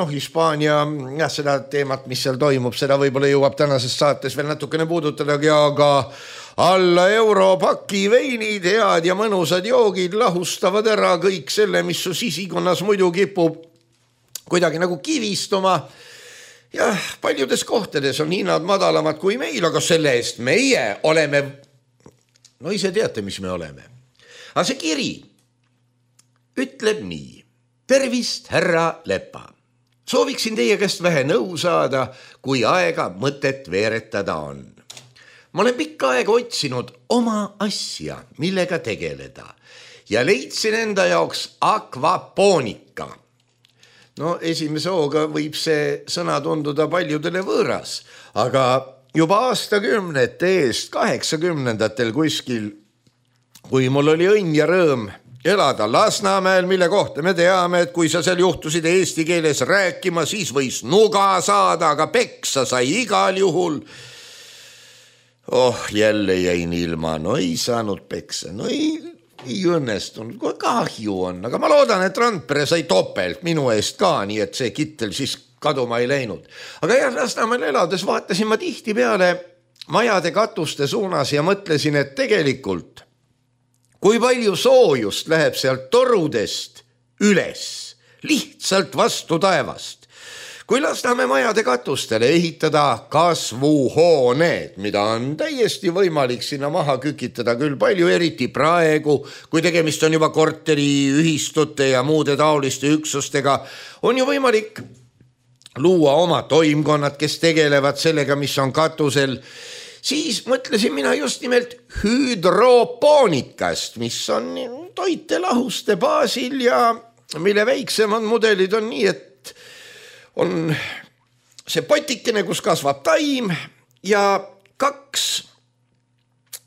seda teemat, mis seal toimub, seda võib-olla jõuab tänases saates veel natukene puudutadagi, aga alla europaki veinid, head ja mõnusad joogid lahustavad ära kõik selle, mis su sisikonnas muidu kipub kuidagi nagu kivistuma. Ja paljudes kohtades on hinnad madalamad kui meil, aga selle eest meie oleme, ise teate, mis me oleme. Aga see kiri ütleb nii. Tervist, härra Lepa. Sooviksin teie käest vähe nõu saada, kui aega mõtet veeretada on. Ma olen pikka aega otsinud oma asja, millega tegeleda ja leidsin enda jaoks akvapoonika. Esimese hooga võib see sõna tunduda paljudele võõras, aga juba aastakümnete eest, 80-ndatel kuskil, kui mul oli õnn ja rõõm elada Lasnamäel, mille kohta me teame, et kui sa seal juhtusid eesti keeles rääkima, siis võis nuga saada, aga peksa sai igal juhul. Jälle jäin ilma, ei saanud peksa, ei õnnestunud, kui kahju on, aga ma loodan, et Randpere sai topelt minu eest ka, nii et see kittel siis kaduma ei läinud. Aga Lasnamäel elades vaatasin ma tihti peale majade katuste suunas ja mõtlesin, et tegelikult kui palju soojust läheb sealt torudest üles, lihtsalt vastu taevast. Kui Lasnamäe majade katustele ehitada kasvuhooned, mida on täiesti võimalik sinna maha kükitada küll palju, eriti praegu, kui tegemist on juba korteriühistute ja muude taoliste üksustega, on ju võimalik luua oma toimkonnad, kes tegelevad sellega, mis on katusel. Siis mõtlesin mina just nimelt hüdropoonikast, mis on toitelahuste baasil ja mille väiksemad mudelid on nii, et on see potikene, kus kasvab taim ja 2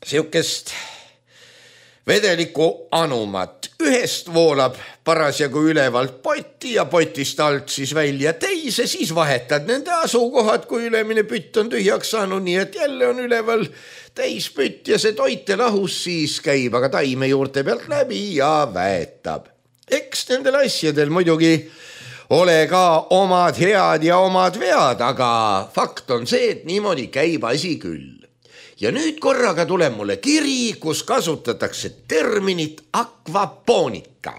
siukest vedeliku anumat. Ühest voolab parasjagu ülevalt potti ja potist alt siis välja teise, siis vahetad nende asukohad, kui ülemine pütt on tühjaks saanud, nii et jälle on üleval täispütt ja see toitelahus siis käib aga taime juurte pealt läbi ja väetab. Eks nendel asjadel muidugi ole ka omad head ja omad vead, aga fakt on see, et niimoodi käib asi küll. Ja nüüd korraga tuleb mulle kiri, kus kasutatakse terminit akvapoonika.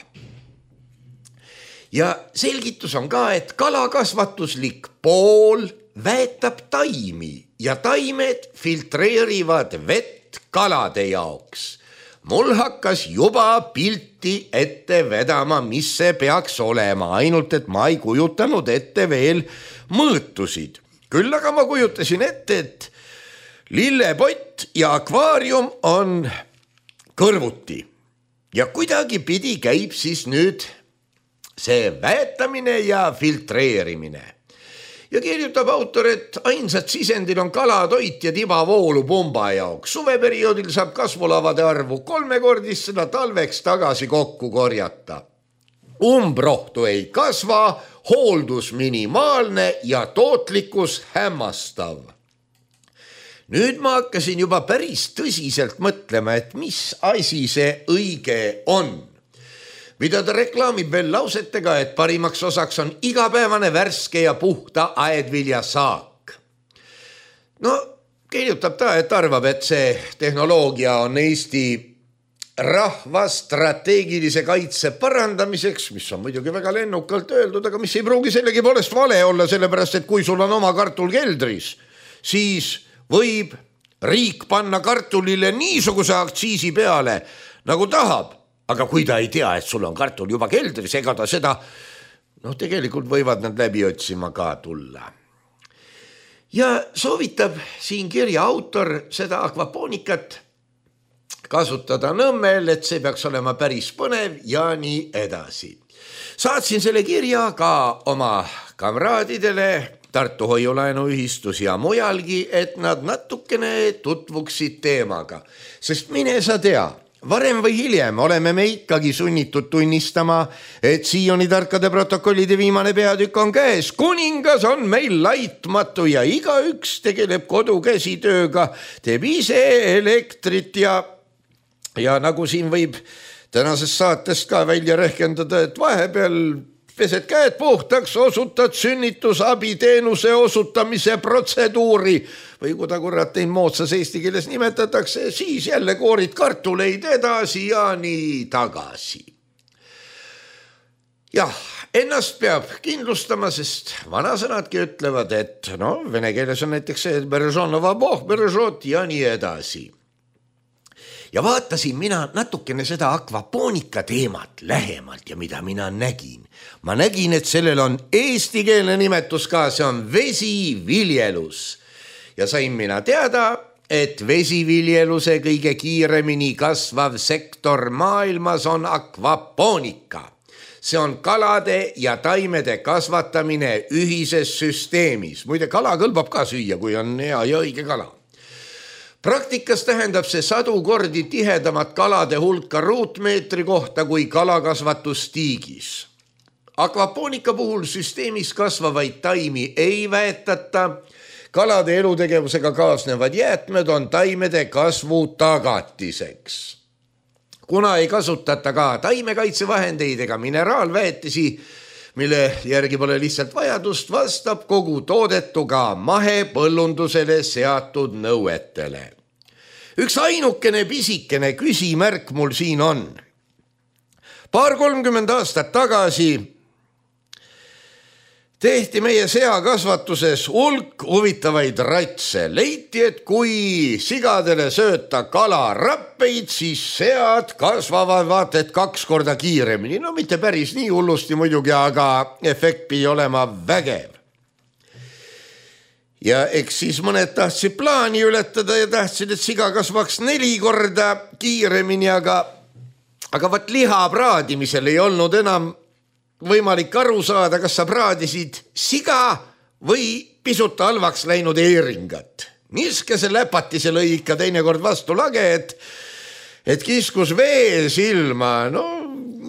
Ja selgitus on ka, et kalakasvatuslik pool väetab taimi ja taimed filtreerivad vett kalade jaoks. Mul hakkas juba pilti ette vedama, mis see peaks olema, ainult et ma ei kujutanud ette veel mõõtusid. Küll aga ma kujutasin ette, et lillepott ja akvaarium on kõrvuti ja kuidagi pidi käib siis nüüd see väetamine ja filtreerimine. Ja kirjutab autor, et ainsad sisendil on kalatoit ja tibavoolu pumba jaoks. Suveperioodil saab kasvulavade arvu 3-kordistada, talveks tagasi kokku korjata. Umbrohtu ei kasva, hooldus minimaalne ja tootlikkus hämmastav. Nüüd ma hakkasin juba päris tõsiselt mõtlema, et mis asi see õige on. Mida ta reklaamib veel lausetega, et parimaks osaks on igapäevane värske ja puhta aedvilja saak. No kirjutab ta, et arvab, et see tehnoloogia on Eesti rahva strateegilise kaitse parandamiseks, mis on muidugi väga lennukalt öeldud, aga mis ei pruugi sellegi poolest vale olla, sellepärast et kui sul on oma kartul keldris, siis võib riik panna kartulile niisuguse aktsiisi peale, nagu tahab, aga kui ta ei tea, et sul on kartul juba keldris, ega ta seda, tegelikult võivad nad läbi otsima ka tulla. Ja soovitab siin kirja autor seda akvapoonikat kasutada Nõmmel, et see peaks olema päris põnev ja nii edasi. Saatsin selle kirja ka oma kamraadidele Tartu Hoiulaenuühistus ja mujalgi, et nad natukene tutvuksid teemaga, sest mine sa tea, varem või hiljem oleme me ikkagi sunnitud tunnistama, et Sioni tarkade protokollide viimane peatükk on käes. Kuningas on meil laitmatu ja igaüks tegeleb kodukäsitööga, teeb ise elektrit ja nagu siin võib tänasest saatest ka välja rehkendada, et vahepeal pesed käed puhtaks, osutad sünnitusabiteenuse osutamise protseduuri või kui ta kurat tein moodsas eesti keeles nimetatakse, siis jälle koorid kartuleid edasi ja nii tagasi. Jah, ennast peab kindlustama, sest vanasõnadki ütlevad, et vene keeles on näiteks see beržonova boh, beržot ja nii edasi. Ja vaatasin mina natukene seda akvapoonika teemat lähemalt ja mida mina nägin. Ma nägin, et sellel on eestikeelne nimetus ka, see on vesiviljelus. Ja sain mina teada, et vesiviljeluse kõige kiiremini kasvav sektor maailmas on akvapoonika. See on kalade ja taimede kasvatamine ühises süsteemis. Muide, kala kõlbab ka süüa, kui on hea ja õige kala. Praktikas tähendab see 100 kordi tihedamat kalade hulka ruutmeetri kohta kui kalakasvatus tiigis. Akvapoonika puhul süsteemis kasvavaid taimi ei väetata, kalade elutegevusega kaasnevad jäätmed on taimede kasvu tagatiseks. Kuna ei kasutata ka taimekaitsevahendeid ega mineraalväetisi, mille järgi pole lihtsalt vajadust, vastab kogu toodetu ka mahepõllundusele seatud nõuetele. Üks ainukene pisikene küsimärk mul siin on. 30 aastat tagasi tehti meie seakasvatuses hulk huvitavaid ratse. Leiti, et kui sigadele sööta kalarappeid, siis sead kasvavad vaat et 2 korda kiiremini. Mitte päris nii hullusti muidugi, aga efekt pidi olema vägev. Ja eks siis mõned tahtsid plaani ületada ja tahtsid, et siga kasvaks 4 korda kiiremini, aga vaat liha praadimisel ei olnud enam võimalik aru saada, kas sa praadisid siga või pisut halvaks läinud eeringat. Niskese läpatise lõi ikka teinekord vastu lage, et kiskus vee silma,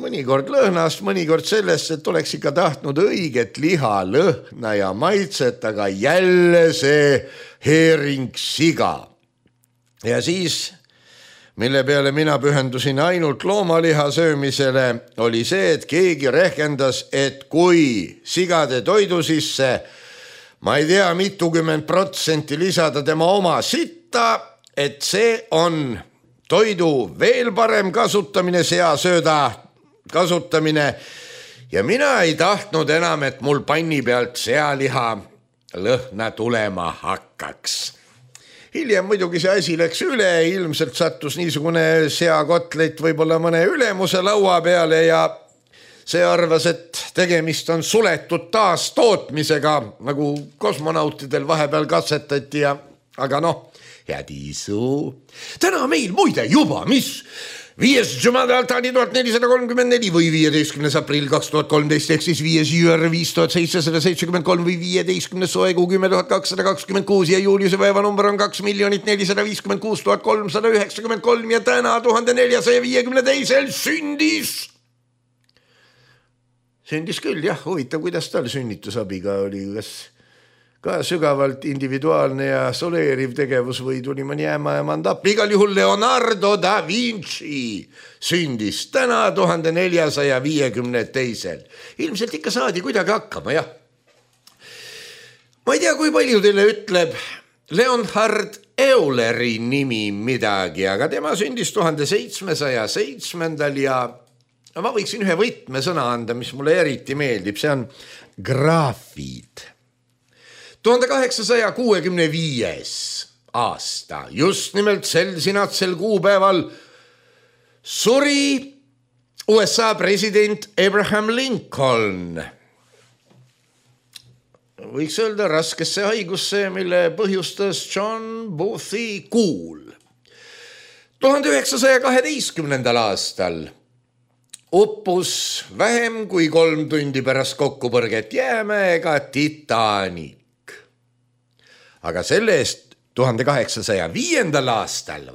mõnikord lõhnast, mõnikord sellest, et oleks ikka tahtnud õiget liha, lõhna ja maitset, aga jälle see heering siga. Ja siis, mille peale mina pühendusin ainult loomaliha söömisele, oli see, et keegi rehkendas, et kui sigade toidu sisse, ma ei tea, mitukümmend % lisada tema oma sitta, et see on toidu veel parem kasutamine, seasööda kasutamine. Ja mina ei tahtnud enam, et mul panni pealt sealiha lõhna tulema hakkaks. Hiljem muidugi see asi läks üle, ilmselt sattus niisugune seakotlet võib-olla mõne ülemuse laua peale ja see arvas, et tegemist on suletud taastootmisega, nagu kosmonautidel vahepeal katsetati, aga head isu. Täna meil muide juba, mis 5. Jumada 1434 või 15. aprill 2013 ehk siis 5. jüür 5773 või 15. soegu 10.226 ja Juliuse päevanumber on 2,456,393 ja täna 1452 sündis küll, jah, huvitav, kuidas tal sünnitusabiga oli, kas ka sügavalt individuaalne ja soleeriv tegevus või tuli mõni ämmaemand appi. Igal juhul Leonardo da Vinci sündis täna 1452. Ilmselt ikka saadi kuidagi hakkama, jah. Ma ei tea, kui palju teile ütleb Leonhard Euleri nimi midagi, aga tema sündis 1707 ja ma võiksin ühe võtmesõna anda, mis mulle eriti meeldib, see on graafid. 1865 aasta, just nimelt sel sinatsel kuupäeval suri USA president Abraham Lincoln. Võiks öelda raskesse haigusse, mille põhjustas John Boothi kuul. 1912. aastal uppus vähem kui 3 tundi pärast kokkupõrget jäämäega Titanic. Aga selle eest 1805. aastal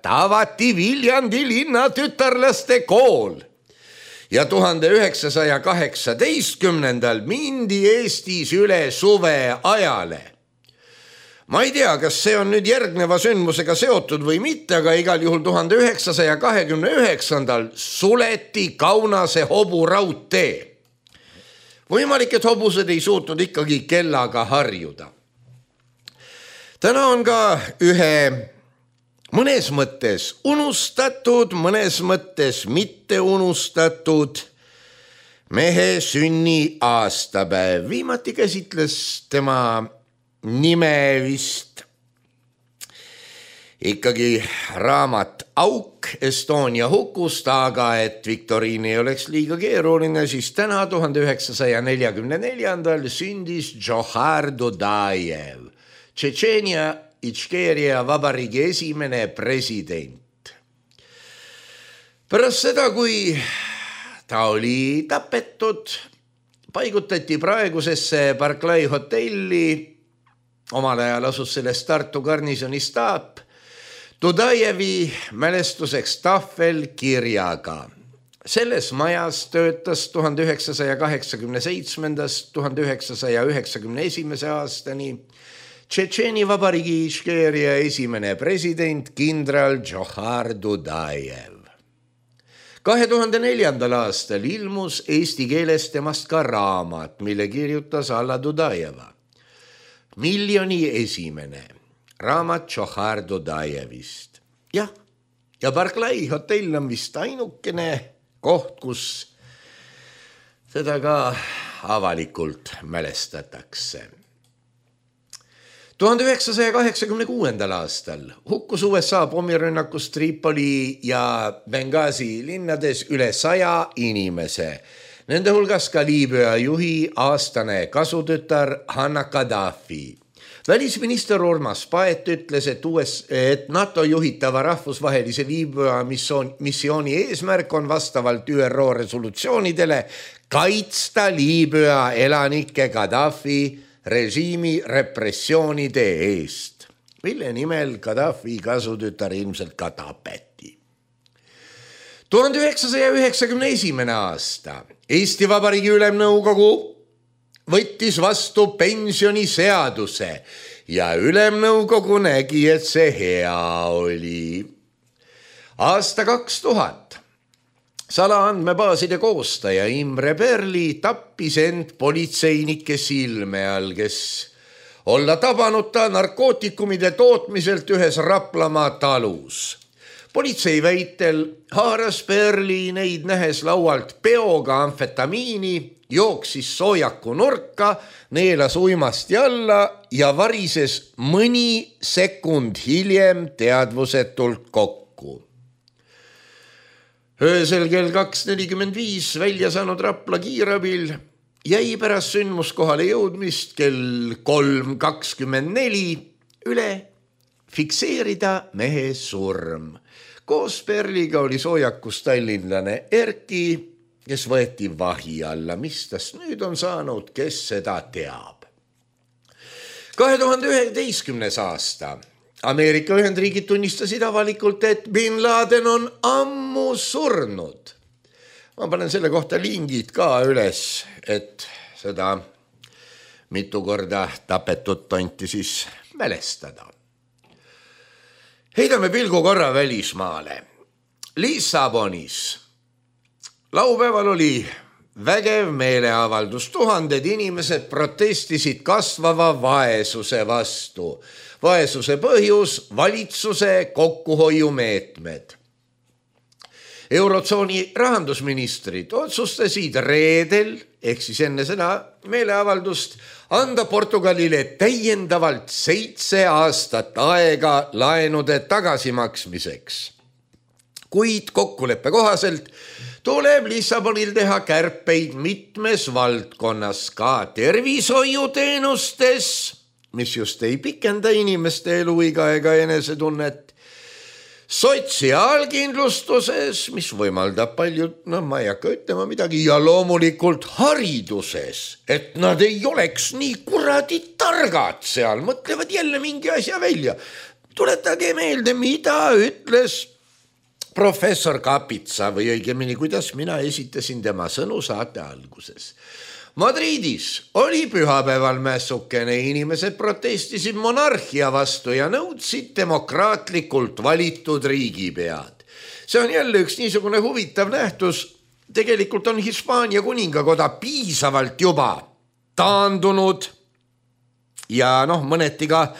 avati Viljandi linna tütarlaste kool ja 1918. mindi Eestis üle suveajale. Ma ei tea, kas see on nüüd järgneva sündmusega seotud või mitte, aga igal juhul 1929. suleti Kaunase hoburaudtee. Võimalik, et hobused ei suutnud ikkagi kellaga harjuda. Täna on ka ühe mõnes mõttes unustatud, mõnes mõttes mitte unustatud mehe sünni aastapäev. Viimati käsitles tema nime vist ikkagi raamat Auk Estonia hukust, aga et viktoriin ei oleks liiga keeruline, siis täna 1944. sündis Džohar Dudajev, Tšetšeenia Itškeeria vabariigi esimene president. Pärast seda, kui ta oli tapetud, paigutati praegusesse Barclay hotelli, omal ajal asus selles Tartu garnisoni staap, Dudajevi mälestuseks tahvel kirjaga. Selles majas töötas 1987–1991 aastani Tšetšeeni vabariigi Itškeeria esimene president kindral Džohar Dudajev. 2004. aastal ilmus eesti keeles temast ka raamat, mille kirjutas Alla Dudajeva. Miljoni esimene raamat Džohar Dudajevist. Jah, ja Barclay hotell on vist ainukene koht, kus seda ka avalikult mälestatakse. 1986. aastal hukkus USA pommirünnakus Tripoli ja Benghazi linnades üle 100 inimese. Nende hulgas ka Liibüa juhi aastane kasutütar Hanna Gaddafi. Välisminister Urmas Paet ütles, et NATO juhitava rahvusvahelise Liibüa missiooni eesmärk on vastavalt ÜRO resolutsioonidele kaitsta Liibüa elanike Gaddafi režiimi repressioonide eest, mille nimel Gaddafi kasutütar ilmselt ka tapeti. 1991. aasta Eesti Vabariigi Ülemnõukogu võttis vastu pensioniseaduse ja Ülemnõukogu nägi, et see hea oli. Aasta 2000 salaandmebaaside koostaja Imre Perli tappis end politseinike silme all, kes olla tabanud ta narkootikumide tootmiselt ühes Raplamaa talus. Politsei väitel haaras Perli neid nähes laualt peoga amfetamiini, jooksis soojaku nurka, neelas uimasti alla ja varises mõni sekund hiljem teadvusetult kokku. Öösel kell 2:45 välja saanud Rapla kiirabil jäi pärast sündmuskohale jõudmist kell 3:24 üle fikseerida mehe surm. Koos Perliga oli soojakus tallinlane Erki, kes võeti vahi alla. Mis tast nüüd on saanud, kes seda teab? 2011. aasta Ameerika Ühendriigid tunnistasid avalikult, et Bin Laden on ammu surnud. Ma panen selle kohta lingid ka üles, et seda mitu korda tapetud tonti siis mälestada. Heidame pilgu korra välismaale. Lissabonis laupäeval oli vägev meeleavaldus. Tuhanded inimesed protestisid kasvava vaesuse vastu. Vaesuse põhjus, valitsuse kokkuhoiumeetmed. Eurotsooni rahandusministrid otsustasid reedel, ehk siis enne seda meeleavaldust, anda Portugalile täiendavalt 7 aastat aega laenude tagasimaksmiseks. Kuid kokkuleppe kohaselt tuleb Lissabonil teha kärpeid mitmes valdkonnas, ka tervishoiuteenustes, mis just ei pikenda inimeste eluiga ega enesetunnet, sotsiaalkindlustuses, mis võimaldab palju, ma ei hakka ütlema midagi, ja loomulikult hariduses, et nad ei oleks nii kuradi targad seal, mõtlevad jälle mingi asja välja. Tuletage meelde, mida ütles professor Kapitsa või õigemini, kuidas mina esitasin tema sõnu saate alguses. Madridis oli pühapäeval mässukene, inimesed protestisid monarhia vastu ja nõudsid demokraatlikult valitud riigipead. See on jälle üks niisugune huvitav nähtus. Tegelikult on Hispaania kuningakoda piisavalt juba taandunud ja mõneti ka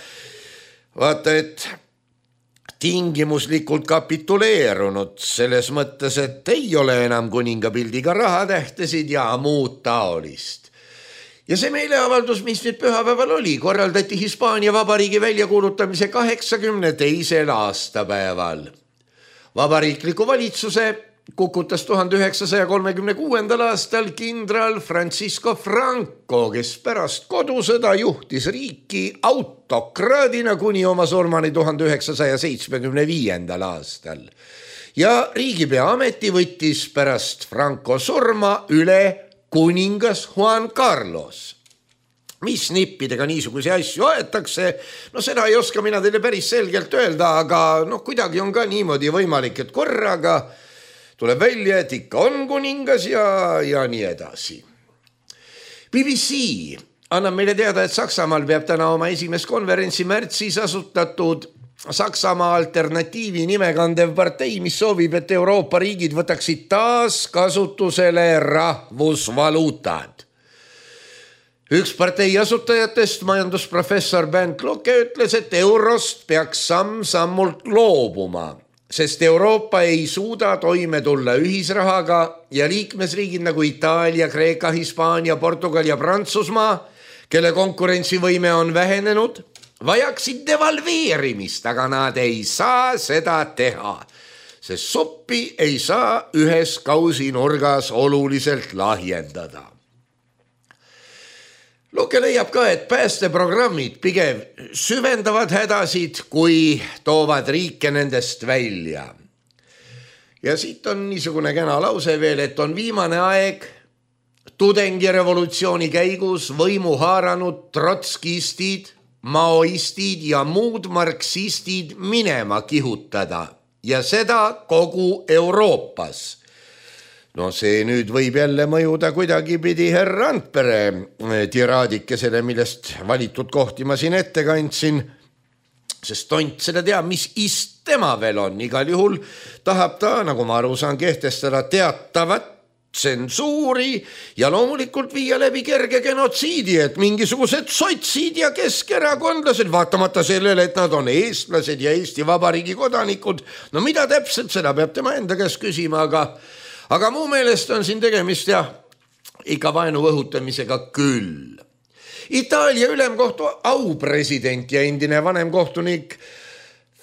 vaata, et tingimuslikult kapituleerunud selles mõttes, et ei ole enam kuningapildiga rahatähtesid ja muud taolist. Ja see meeleavaldus, mis nüüd pühapäeval oli, korraldati Hispaania Vabariigi väljakuulutamise 82. aastapäeval. Vabariikliku valitsuse kukutas 1936. aastal kindral Francisco Franco, kes pärast kodusõda juhtis riiki autokraadina kuni oma surmani 1975. aastal. Ja riigipea ameti võttis pärast Franco surma üle kuningas Juan Carlos. Mis nippidega niisuguse asju aetakse, seda ei oska mina teile päris selgelt öelda, aga kuidagi on ka niimoodi võimalik, et korraga tuleb välja, et ikka on kuningas ja nii edasi. BBC annab meile teada, et Saksamaal peab täna oma esimest konverentsi märtsis asutatud Saksamaa alternatiivi nimekandev partei, mis soovib, et Euroopa riigid võtaksid taas kasutusele rahvusvaluutad. Üks partei asutajatest, majandusprofessor Bernd Lucke, ütles, et eurost peaks samm-sammult loobuma, sest Euroopa ei suuda toime tulla ühisrahaga ja liikmesriigid nagu Itaalia, Kreeka, Hispaania, Portugal ja Prantsusmaa, kelle konkurentsivõime on vähenenud, vajaksid devalveerimist, aga nad ei saa seda teha, sest suppi ei saa ühes kausinurgas oluliselt lahjendada. Luke leiab ka, et päästeprogrammid pigem süvendavad hädasid, kui toovad riike nendest välja. Ja siit on niisugune kena lause veel, et on viimane aeg tudengirevolutsiooni käigus võimu haaranud trotskistid, maoistid ja muud marksistid minema kihutada ja seda kogu Euroopas. See nüüd võib jälle mõjuda kuidagi pidi herra Randpere tiraadikesele, millest valitud kohti ma siin ette kandsin, sest tont seda teab, mis ist tema veel on. Igal juhul tahab ta, nagu ma aru saan, kehtestada teatavat tsensuuri ja loomulikult viia läbi kerge genotsiidi, et mingisugused sotsid ja keskerakondlased, vaatamata sellele, et nad on eestlased ja Eesti Vabariigi kodanikud, mida täpselt, seda peab tema enda käest küsima, aga muu meelest on siin tegemist ikka vaenu õhutamisega küll. Itaalia ülemkohtu aupresident ja endine vanemkohtunik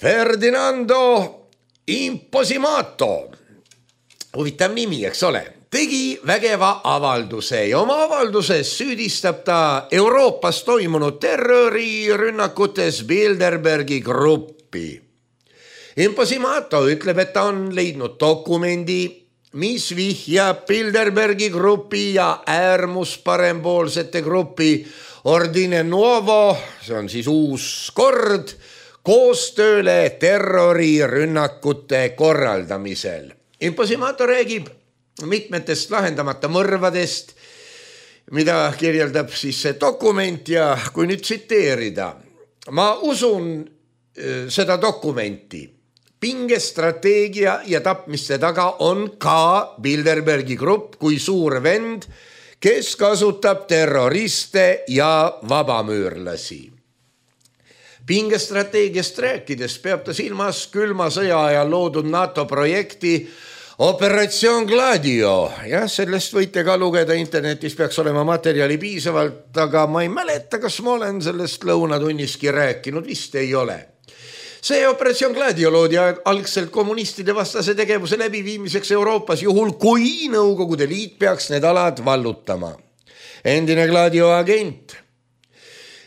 Ferdinando Imposimato, huvitav nimi, eks ole, tegi vägeva avalduse ja oma avalduses süüdistab ta Euroopas toimunud terrorirünnakutes Bilderbergi gruppi. Imposimato ütleb, et ta on leidnud dokumendi, mis vihjab Bilderbergi grupi ja äärmusparempoolsete grupi Ordine Nuovo, see on siis uus kord, koostööle terrorirünnakute korraldamisel. Imposimato räägib mitmetest lahendamata mõrvadest, mida kirjeldab siis see dokument ja kui nüüd tsiteerida, ma usun seda dokumenti, pingestrateegia ja tapmiste taga on ka Bilderbergi grupp kui suur vend, kes kasutab terroriste ja vabamüürlasi. Pingestrateegiast rääkides peab ta silmas külma sõja ajal loodud NATO projekti Operatsioon Gladio. Jah, sellest võite ka lugeda internetis, peaks olema materjali piisavalt, aga ma ei mäleta, kas ma olen sellest lõunatunniski rääkinud, vist ei ole. See Operatsioon Gladio loodi algselt kommunistide vastase tegevuse läbiviimiseks Euroopas, juhul kui Nõukogude Liit peaks need alad vallutama. Endine Gladio agent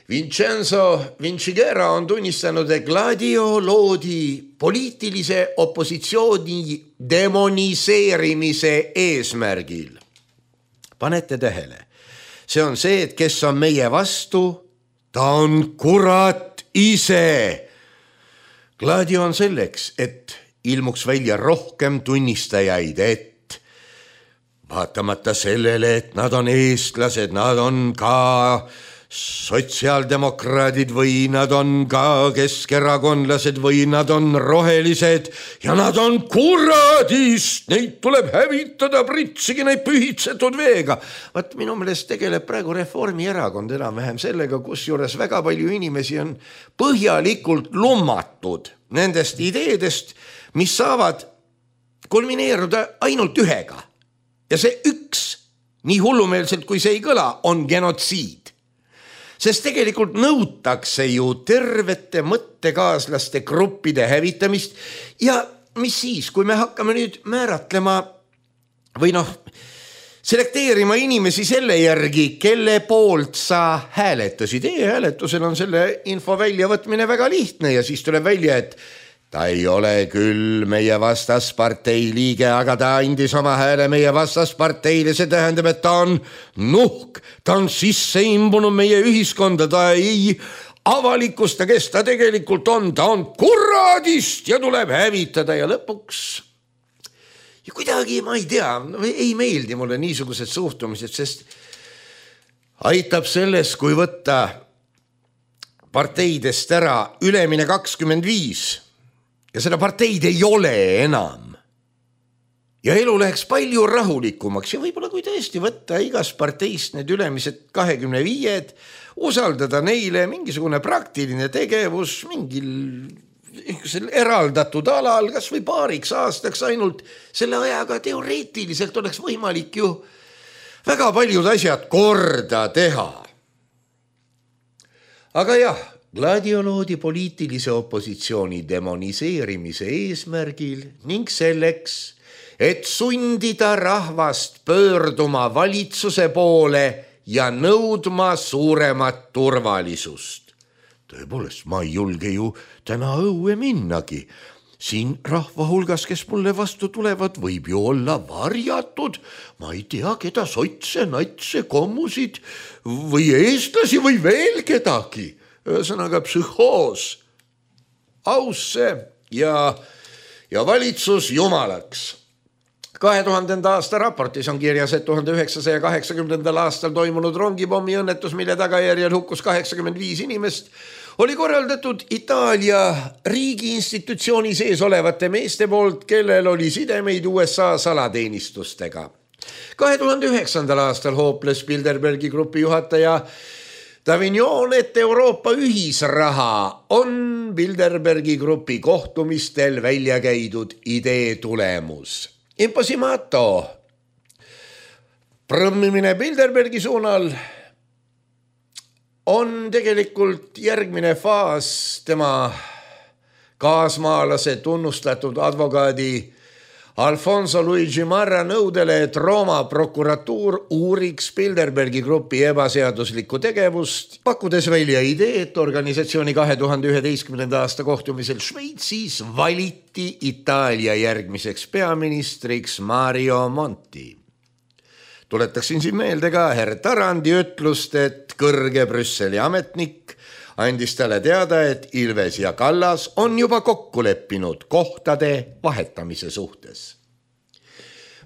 Vincenzo Vinciguerra on tunnistanud, et Gladio loodi poliitilise opositsiooni demoniseerimise eesmärgil. Panete tähele, see on see, et kes on meie vastu, ta on kurat ise. Gladio on selleks, et ilmuks välja rohkem tunnistajaid, et vaatamata sellele, et nad on eestlased, nad on ka sotsiaaldemokraadid või nad on ka keskerakondlased või nad on rohelised ja nad on kuradist, neid tuleb hävitada, pritsigi neid pühitsetud veega. Vaat minu meelest tegeleb praegu Reformierakond enam-vähem sellega, kusjuures väga palju inimesi on põhjalikult lummatud nendest ideedest, mis saavad kulmineeruda ainult ühega. Ja see üks, nii hullumeelselt kui see ei kõla, on genotsiid. Sest tegelikult nõutakse ju tervete mõttekaaslaste gruppide hävitamist ja mis siis, kui me hakkame nüüd määratlema või selekteerima inimesi selle järgi, kelle poolt sa hääletasid. E-hääletusel on selle info väljavõtmine väga lihtne ja siis tuleb välja, et ta ei ole küll meie vastaspartei liige, aga ta andis oma hääle meie vastasparteile, see tähendab, et ta on nuhk, ta on sisse imbunud meie ühiskonda, ta ei avalikusta, kes ta tegelikult on, ta on kuradist ja tuleb hävitada ja lõpuks ja kuidagi, ma ei tea, ei meeldi mulle niisugused suhtumised, sest aitab selles, kui võtta parteidest ära ülemine 25 ja seda parteid ei ole enam. Ja elu läheks palju rahulikumaks ja võib-olla kui tõesti võtta igas parteist need ülemised 25, usaldada neile mingisugune praktiline tegevus mingil eraldatud alal, kas või paariks aastaks ainult, selle ajaga teoreetiliselt oleks võimalik ju väga paljud asjad korda teha. Aga jah, Gladio loodi poliitilise opositsiooni demoniseerimise eesmärgil ning selleks, et sundida rahvast pöörduma valitsuse poole ja nõudma suuremat turvalisust. Tõepoolest, ma ei julge ju täna õue minnagi. Siin rahva hulgas, kes mulle vastu tulevad, võib ju olla varjatud. Ma ei tea, keda sotse, natse, kommusid või eestlasi või veel kedagi. Ühesõnaga psühhoos, ausse ja valitsus jumalaks. 2000. aasta raportis on kirjas, et 1980. aastal toimunud rongipommi õnnetus, mille tagajärjel hukkus 85 inimest, oli korraldatud Itaalia riigi institutsiooni sees olevate meeste poolt, kellel oli sidemeid USA salateenistustega. 2009. aastal hooples Bilderbergi grupi juhataja Davignon, et Euroopa ühisraha on Bilderbergi grupi kohtumistel välja käidud idee tulemus. Imposimato prõmmimine Bilderbergi suunal on tegelikult järgmine faas tema kaasmaalase tunnustatud advokaadi Alfonso Luigi Marra nõudele, et Rooma prokuratuur uuriks Bilderbergi grupi ebaseaduslikku tegevust, pakkudes välja idee, et organisatsiooni 2011. aasta kohtumisel Šveitsis valiti Itaalia järgmiseks peaministriks Mario Monti. Tuletaksin siin meelde ka herr Tarandi ütlust, et kõrge Brüsseli ametnik andis talle teada, et Ilves ja Kallas on juba kokku leppinud kohtade vahetamise suhtes.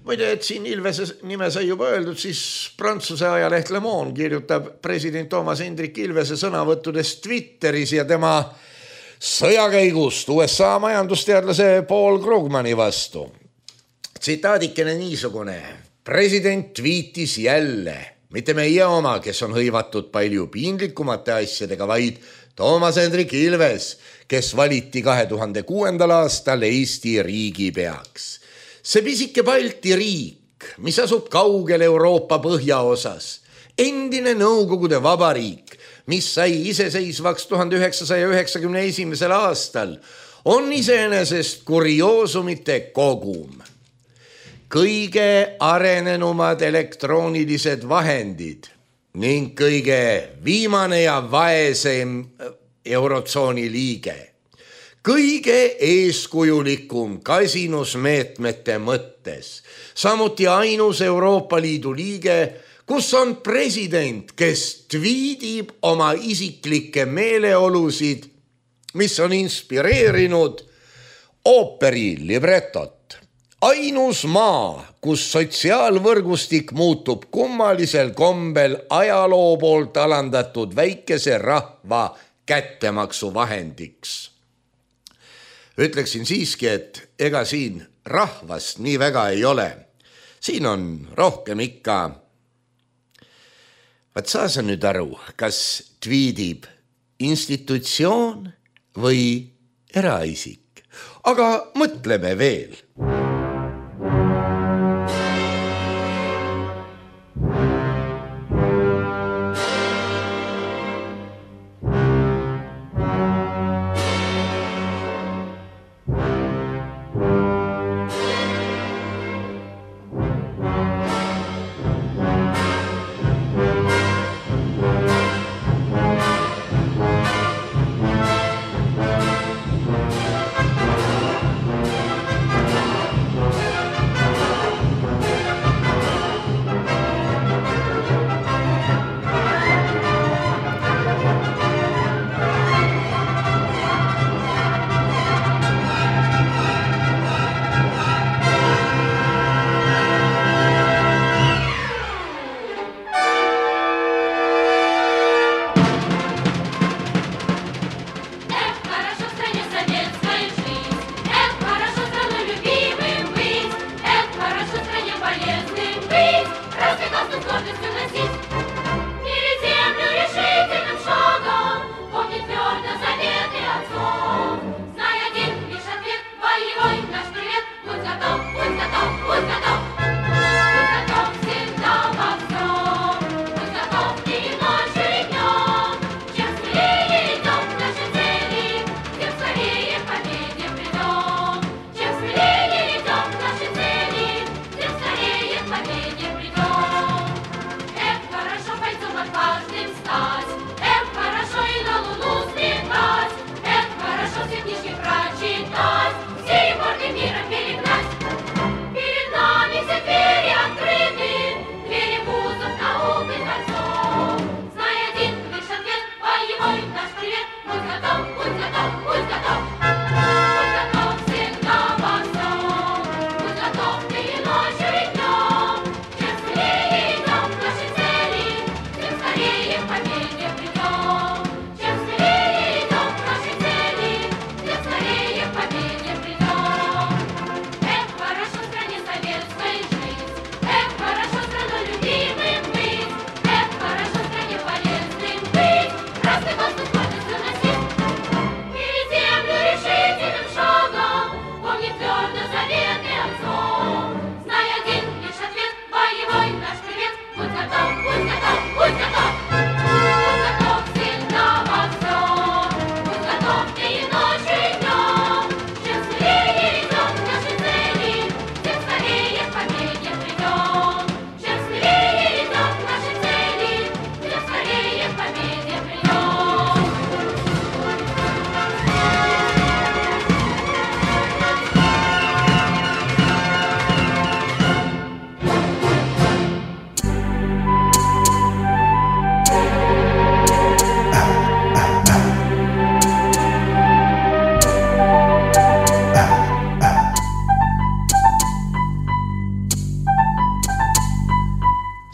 Muide, et siin Ilvese nime sai juba öeldud, siis Prantsuse ajaleht Le Monde kirjutab president Toomas Hendrik Ilvese sõnavõttudest Twitteris ja tema sõjakäigust USA majandusteadlase Paul Krugmani vastu. Tsitaadikene niisugune. President viitis jälle, mitte meie oma, kes on hõivatud palju piinlikumate asjadega, vaid Toomas Hendrik Ilves, kes valiti 2006. aastal Eesti riigipeaks. See pisike Balti riik, mis asub kaugel Euroopa põhjaosas, endine Nõukogude Vabariik, mis sai iseseisvaks 1991. aastal, on iseenesest kurioosumite kogum. Kõige arenenumad elektroonilised vahendid ning kõige viimane ja vaesem eurotsooni liige. Kõige eeskujulikum kasinusmeetmete mõttes, samuti ainus Euroopa Liidu liige, kus on president, kes tweedib oma isiklikke meeleolusid, mis on inspireerinud ooperi libretot. Ainus maa, kus sotsiaalvõrgustik muutub kummalisel kombel ajaloo poolt alandatud väikese rahva kättemaksu vahendiks. Ütleksin siiski, et ega siin rahvast nii väga ei ole. Siin on rohkem ikka. Vaat saa sa nüüd aru, kas tweedib institutsioon või eraisik. Aga mõtleme veel.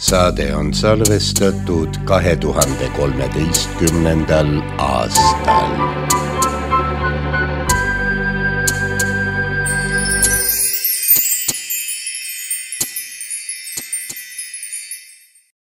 Saade on salvestatud 2013. aastal.